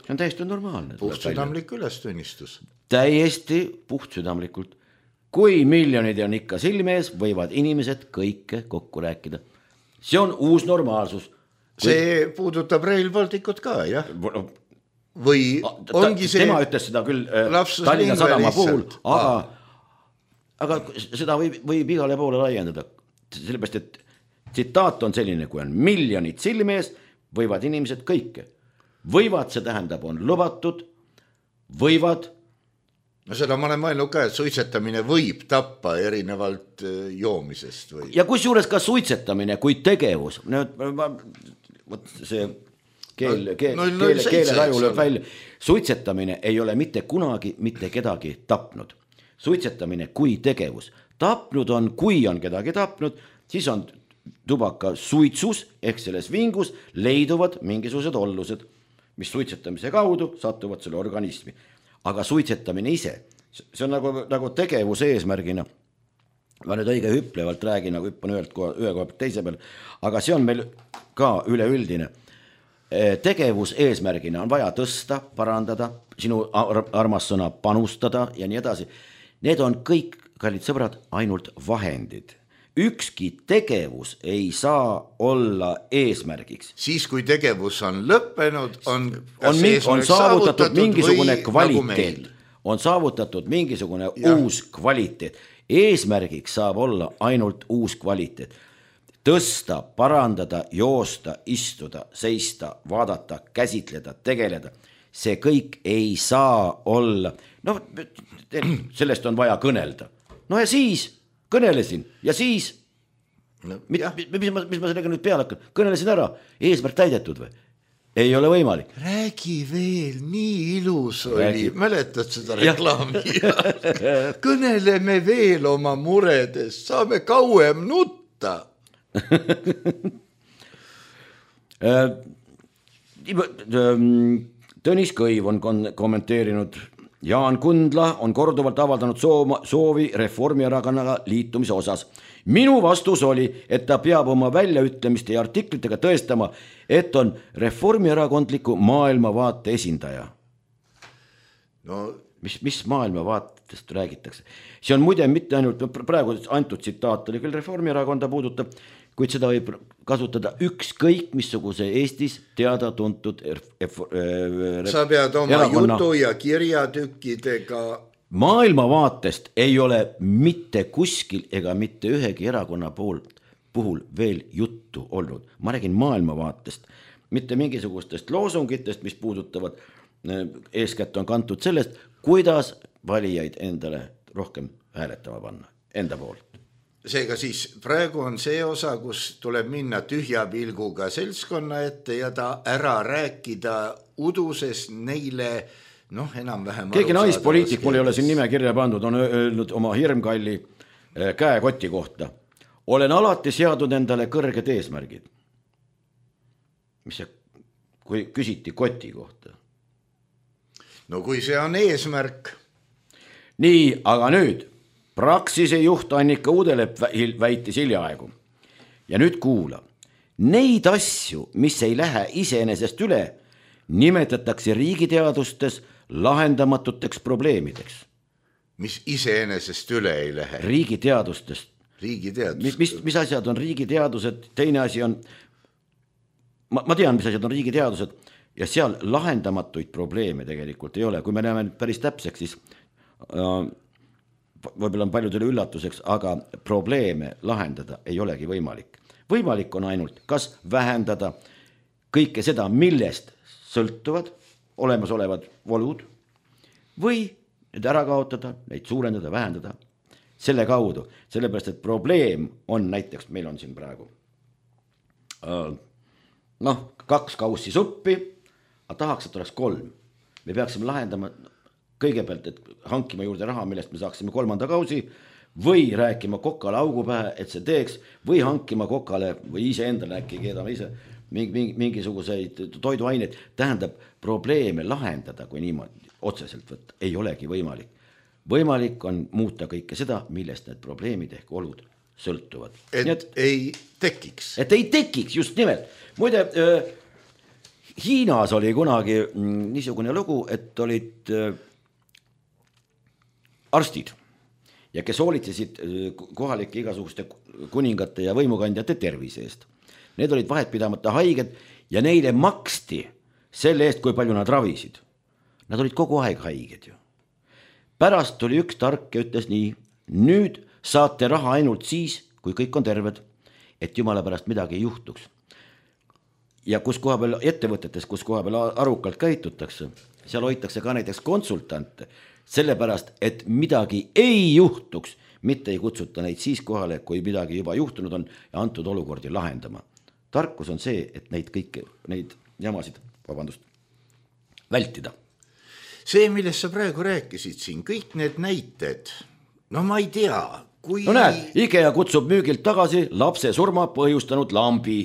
See on täiesti normaalne. Puhtsüdamlik ülestunnistus. Täiesti puhtsüdamlikult. Kui miljonid on ikka silmees, võivad inimesed kõike kokku rääkida. See on uus normaalsus. See puudutab Rail Balticut ka, jah? Või ongi see... Tema ütles seda küll Tallinna Sadama puhul, aga seda võib igale poole laiendada. Sellepärast, et tsitaat on selline, kui on miljonid silmees, võivad inimesed kõike. Võivad, see tähendab, on lubatud, võivad. Seda ma olen mõelnud ka, et suitsetamine võib tappa erinevalt joomisest. Või... Ja kusjuures ka suitsetamine kui tegevus. See keeleraju lööb välja. Suitsetamine ei ole mitte kunagi mitte kedagi tapnud. Suitsetamine kui tegevus. Tapnud on, kui on kedagi tapnud, siis on tubaka suitsus ehk selles vingus leiduvad mingisugused ollused, mis suitsetamise kaudu satuvad selle organismi. Aga suitsetamine ise, see on nagu tegevuse eesmärgina. Ma nüüd õige hüplevalt räägin, nagu hüppan ühe koha teise peal, aga see on meil ka üleüldine. Tegevus eesmärgina on vaja tõsta, parandada, sinu armas sõna panustada ja nii edasi. Need on kõik, kallid sõbrad, ainult vahendid. Ükski tegevus ei saa olla eesmärgiks. Siis, kui tegevus on lõppenud, on saavutatud mingisugune kvaliteet. On saavutatud mingisugune uus kvaliteet. Eesmärgiks saab olla ainult uus kvaliteet. tõsta, parandada, joosta, istuda, seista, vaadata, käsitleda, tegeleda. See kõik ei saa olla. No sellest on vaja kõnelda. No ja siis kõnelesin ja siis mis ma sellega nüüd peale hakkan? Kõnelesin ära, eesmärk täidetud või? Ei ole võimalik. Räägi veel, nii ilus oli. Mäletad seda reklaami? Kõneleme veel oma muredest, saame kauem nutta. Tõnis Kõiv on kommenteerinud. Jaan Kundla on korduvalt avaldanud soovi Reformierakonnaga liitumise osas. Minu vastus oli, et ta peab oma väljaütlemiste ja artiklitega tõestama, et on reformierakondliku maailmavaate esindaja. No, mis maailmavaatest räägitakse? See on muide mitte ainult, praegu antud tsitaat oli küll Reformierakonda puudutab, kuid seda võib kasutada ükskõik missuguse Eestis teada-tuntud sa pead oma jutu ja kirjatükkidega. Maailmavaatest ei ole mitte kuskil ega mitte ühegi erakonna puhul veel juttu olnud. Ma räägin maailmavaatest, mitte mingisugustest loosungitest, mis puudutavad, eeskätt on kantud sellest, kuidas valijaid endale rohkem hääletama panna, enda poolt. Seega siis praegu on see osa, kus tuleb minna tühja pilguga seltskonna ette ja ta ära rääkida uduses neile enam-vähem keegi naispoliitik, mul ei ole siin nime kirja pandud, on öelnud oma hirmkalli käekoti kohta. Olen alati seadnud endale kõrged eesmärgid. Mis see, kui küsiti koti kohta? No kui see on eesmärk. Nii, aga nüüd Praxise juht Annika Udelepp väitis hiljaaegu. Ja nüüd kuula. Neid asju, mis ei lähe iseenesest üle, nimetatakse riigiteadustes lahendamatuteks probleemideks. Mis iseenesest üle ei lähe? Riigiteadustest. Riigiteadustest. Mis asjad on riigiteadused? Teine asi on, ma tean, mis asjad on riigiteadused ja seal lahendamatuid probleeme tegelikult ei ole. Kui me näeme päris täpseks, siis võib-olla on paljudele üllatuseks, aga probleeme lahendada ei olegi võimalik. Võimalik on ainult kas vähendada kõike seda, millest sõltuvad olemasolevad volud või need ära kaotada, neid suurendada, vähendada selle kaudu. Sellepärast, et probleem on näiteks, meil on siin praegu 2 kaussi suppi, aga tahaks, et oleks 3. Me peaksime lahendama kõigepealt, et hankima juurde raha, millest me saaksime 3. kausi või rääkima kokale augu pähe, et see teeks või hankima kokale või ise endale äkki keedame ise mingisuguseid toiduaineid. Tähendab, probleeme lahendada, kui niimoodi otseselt võtta, ei olegi võimalik. Võimalik on muuta kõike seda, millest need probleemid ehk olud sõltuvad. Et ei tekiks. Et ei tekiks, just nimelt. Muide, Hiinas oli kunagi niisugune lugu, et olid arstid ja kes hoolitsesid kohalike igasuguste kuningate ja võimukandjate tervise eest. Need olid vahetpidamata haiged ja neile maksti selle eest, kui palju nad ravisid. Nad olid kogu aeg haiged ju. Pärast tuli üks tark ja ütles nii, nüüd saate raha ainult siis, kui kõik on terved, et jumala pärast midagi ei juhtuks. Ja kus koha peal ettevõtetes, kus koha peal arukalt käitutakse, seal hoitakse ka näiteks konsultante, sellepärast, et midagi ei juhtuks, mitte ei kutsuta neid siis kohale, kui midagi juba juhtunud on ja antud olukordi lahendama. Tarkus on see, et neid jamasid, vältida. See, millest sa praegu rääkisid siin, kõik need näited, ma ei tea, kui... No näed, IKEA kutsub müügilt tagasi lapse surma põhjustanud lambi.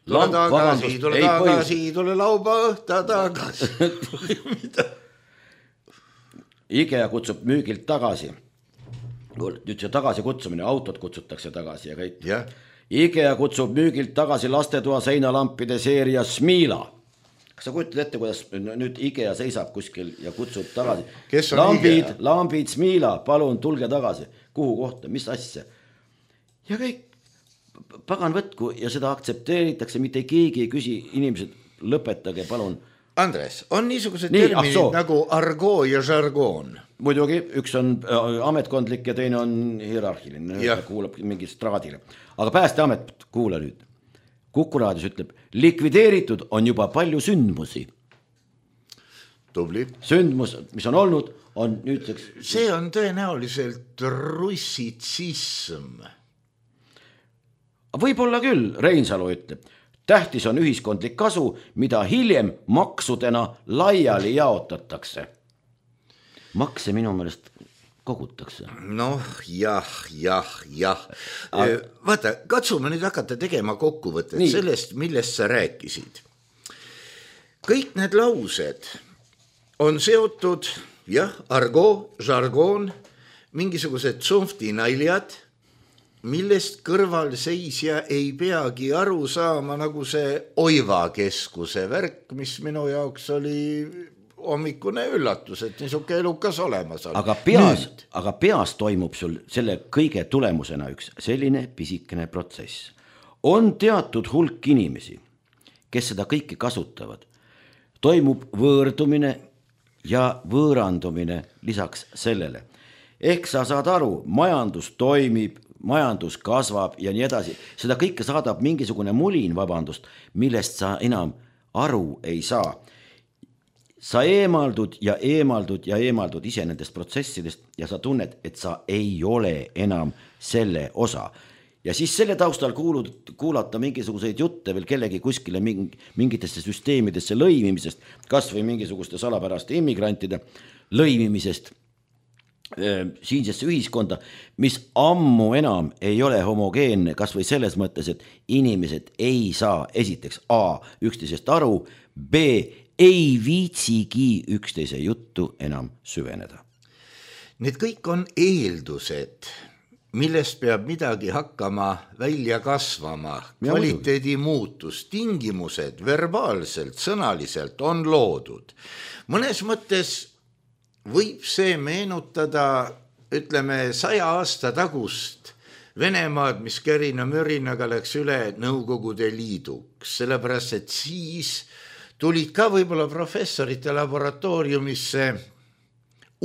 Tule tagasi, lauba õhta tagasi. Mida? IKEA kutsub müügilt tagasi. Nüüd see tagasi kutsumine, autod kutsutakse tagasi ja kõik. Yeah. IKEA kutsub müügilt tagasi lastetoa seinalampide seeria Smila. Kas sa kujutad ette, kuidas nüüd IKEA seisab kuskil ja kutsub tagasi? Kes on IKEA? Lambid Smila, palun tulge tagasi. Kuhu kohta, mis asja? Ja kõik pagan võtku ja seda aktsepteeritakse, mitte keegi ei küsi, inimesed lõpetage palun Andres, on niisugused terminid nagu argoo ja žargoon? Muidugi, üks on ametkondlik ja teine on hierarhiline, kuulab mingi straadile. Aga Päästeamet, kuula nüüd. Kuku raadios ütleb, likvideeritud on juba palju sündmusi. Tubli. Sündmus, mis on olnud, on nüüdseks... See on tõenäoliselt russitsism. Võib-olla küll, Reinsalu ütleb. Tähtis on ühiskondlik kasu, mida hiljem maksudena laiali jaotatakse. Makse minu meelest kogutakse. Noh, jah. Vaata, katsume nüüd hakata tegema kokkuvõtet sellest, millest sa rääkisid. Kõik need laused on seotud, argoo, žargoon, mingisugused tsunftinaljad, millest kõrvalseisja ei peagi aru saama, nagu see Oiva keskuse värk, mis minu jaoks oli hommikune üllatus, et niisuke elukas olemas on. Aga peas toimub sul selle kõige tulemusena üks selline pisikene protsess. On teatud hulk inimesi, kes seda kõike kasutavad. Toimub võõrdumine ja võõrandumine lisaks sellele. Ehk sa saad aru, majandus toimib, majandus kasvab ja nii edasi. Seda kõike saadab mingisugune mulin, millest sa enam aru ei saa. Sa eemaldud ise nendest protsessidest ja sa tunned, et sa ei ole enam selle osa. Ja siis selle taustal kuulata mingisuguseid jutte veel kellegi kuskile mingitesse süsteemidesse lõimimisest, kas või mingisuguste salapäraste immigrantide lõimimisest siinsesse ühiskonda, mis ammu enam ei ole homogeenne, kas või selles mõttes, et inimesed ei saa esiteks A üksteisest aru, B ei viitsigi üksteise juttu enam süveneda. Need kõik on eeldused, millest peab midagi hakkama välja kasvama, kvaliteedi muutus, tingimused verbaalselt, sõnaliselt on loodud. Mõnes mõttes võib see meenutada, ütleme, 100 aasta tagust Venemaad, mis kärina-mürinaga läks üle Nõukogude Liiduks, sellepärast, et siis tulid ka võib-olla professorite laboratooriumisse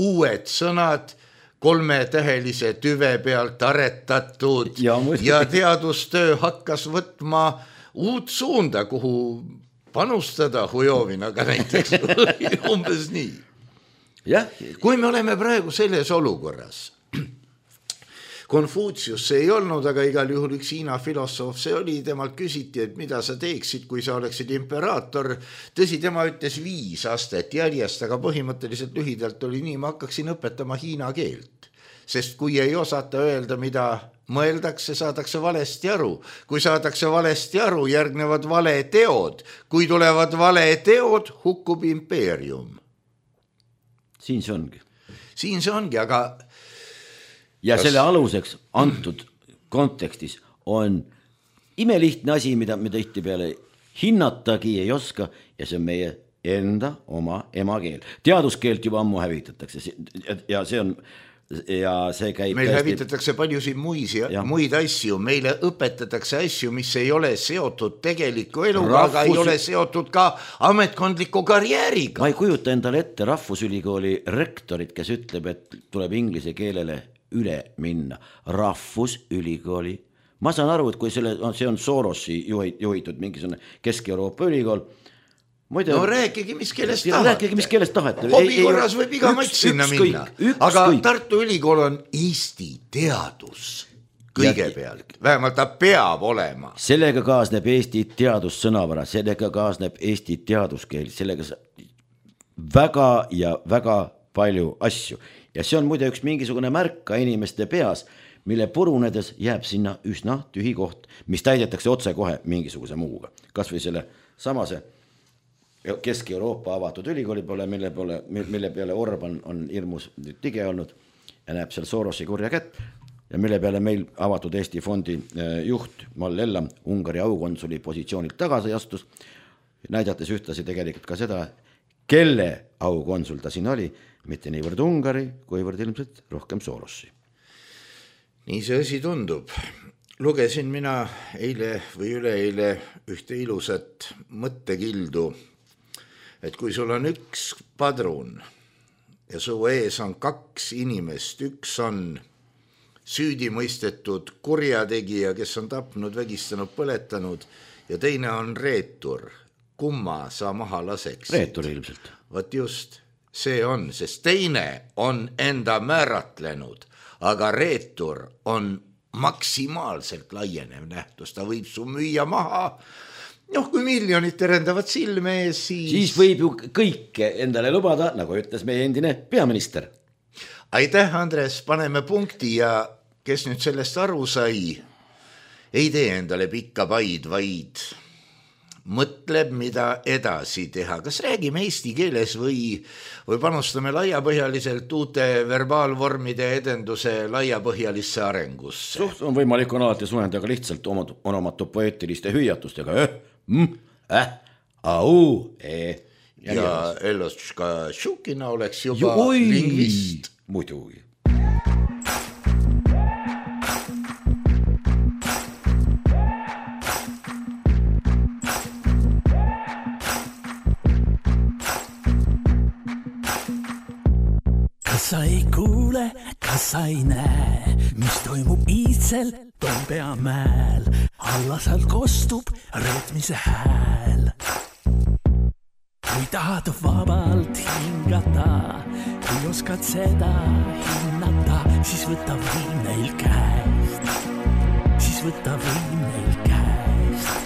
uued sõnad, 3-tähelise tüve pealt aretatud ja teadustöö hakkas võtma uut suunda, kuhu panustada Hujovinaga näiteks umbes nii. Kui me oleme praegu selles olukorras, Konfutsius see ei olnud, aga igal juhul üks Hiina filosoof see oli, temalt küsiti, et mida sa teeksid, kui sa oleksid imperaator. Tõsi, tema ütles 5 astet järjest, aga põhimõtteliselt lühidalt oli nii, ma hakkaksin õpetama hiina keelt. Sest kui ei osata öelda, mida mõeldakse, saadakse valesti aru. Kui saadakse valesti aru, järgnevad valeteod. Kui tulevad valeteod, hukkub impeerium. Siin see ongi, aga... Ja selle aluseks antud kontekstis on imelihtne asi, mida me tihtipeale hinnatagi ei oska ja see on meie enda oma emakeel. Teaduskeelt juba ammu hävitatakse ja see käib... Meil hävitatakse paljusid muid asju, meile õpetatakse asju, mis ei ole seotud tegeliku eluga, aga ei ole seotud ka ametkondliku karjääriga. Ma ei kujuta endale ette Rahvusülikooli rektorit, kes ütleb, et tuleb inglise keelele üle minna. Rahvusülikooli. Ma saan aru, et kui see on Sorosi juhitud mingisugune Kesk-Euroopa ülikool. No rääkige, mis keelest tahate. Rääkige, mis keelest tahate. Hobi korras võib iga mats sinna minna. Aga Tartu Ülikool on Eesti teadus kõigepealt. Vähemalt ta peab olema. Sellega kaasneb Eesti teadussõnavara, sellega kaasneb Eesti teaduskeel, sellega väga ja väga palju asju. Ja see on muide üks mingisugune märk ka inimeste peas, mille purunedes jääb sinna üsna tühi koht, mis täidetakse otse kohe mingisuguse muuga. Kas või selle samase Kesk-Euroopa avatud ülikooli poole, mille peale Orban on hirmus tige olnud ja näeb seal Sorosi kurja kätt ja mille peale meil avatud Eesti fondi juht Mall Ellam Ungari aukonsuli positsioonilt tagasi astus, näidates ühtlasi tegelikult ka seda, kelle aukonsul ta siin oli, mitte niivõrd Ungari, kuivõrd ilmselt rohkem Sorossi. Nii see asi tundub. Lugesin mina eile või üleeile ühte ilusat mõttekildu et kui sul on üks padrun ja su ees on 2 inimest, üks on süüdi mõistetud kurjategija, kes on tapnud, vägistanud, põletanud ja teine on reetur, kumma sa maha laseks? Reetur ilmselt. Vot just, see on, sest teine on enda määratlenud, aga reetur on maksimaalselt laienev nähtus, ta võib su müüa maha. Kui miljonid terendavad silme ees, siis võib ju kõike endale lubada, nagu ütles meie endine peaminister. Aitäh, Andres, paneme punkti ja kes nüüd sellest aru sai, ei tee endale pikka paid, vaid mõtleb, mida edasi teha. Kas räägime eesti keeles või panustame laiapõhjaliselt uute verbaalvormide edenduse laiapõhjalisse arengusse? On võimalik on alati suhendada lihtsalt onomatopoeetiliste hüüatustega. Au, ja Eloška Šukina oleks juba lingvist. Muidugi. Kas sa ei kuule, kas sa ei näe, mis toimub iidsel Toompea mäel, alla sealt kostub reetmise hääl. Kui tahad vabalt hingata, kui oskad seda hinnata, siis võta võim neil käest, siis võta võim neil käest.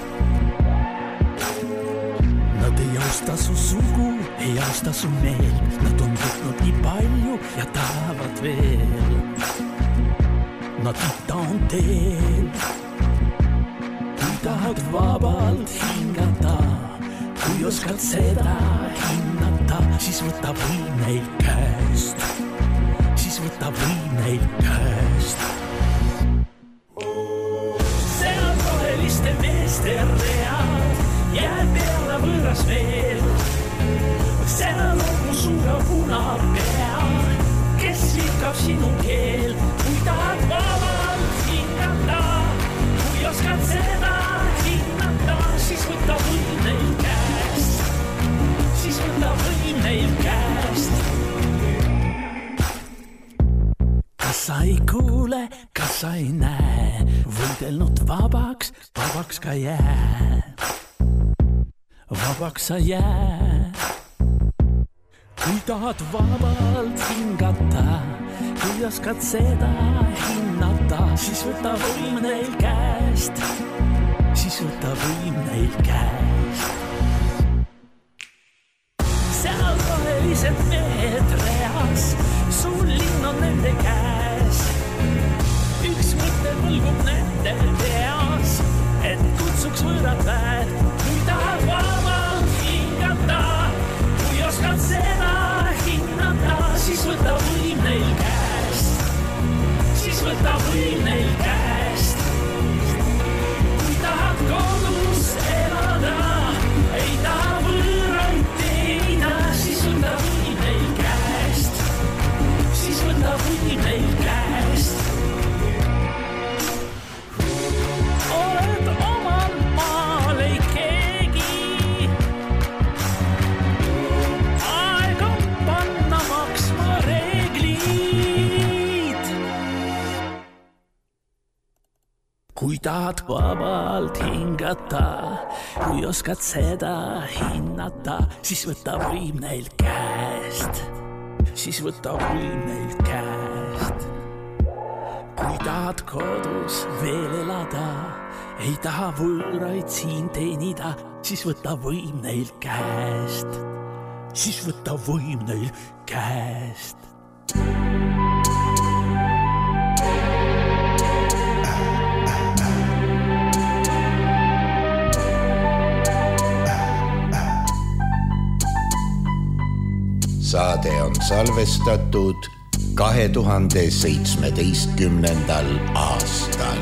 Nad ei austa su sugu, ei austa su meel, nad on võtnud nii palju ja tahavad veel. Nad ita on teel, kui tahad vabalt hingata, kui oskad seda hinnata, siis võta võim neil käest, siis võta võim neil käest. Seal roheliste meeste read jääb peale võõras veel. Seal on mu suure puna pea, kes liikab sinu keel. Kui tahad vabalt hingata, kui oskad seda hinnata, siis võta võim neil käest, siis võta võim neil käest. Kas sa ei kuule, kas sa ei näe, võidelnud vabaks, vabaks ka jää. Vabaks sa jää. Kui tahad vabalt hingata, kui oskad seda hinnata, siis võta võim neil käest, siis võta võim neil käest. Seal rohelised mehed reas, sul linn on nende käes. Üks mõte võlgub nende peas, et kutsuks võõrad väed. Kui tahad vabalt hingata, kui oskad seda hinnata, siis võta võim neil käest, siis võta võim neil käest. Kui tahad kodus elada, ei taha võõraid teenida, siis võta võim neil käest, siis võta võim neil käest. Oled omal maal ei keegi, aeg on panna maksma reeglid. Kui tahad vabalt hingata, kui oskad seda hinnata, siis võta võim neil käest, siis võta võim neil käest. Kui tahad kodus veel elada, ei taha võõraid siin teenida, siis võta võim neil käest, siis võta võim neil käest. Saade on salvestatud 2017. aastal.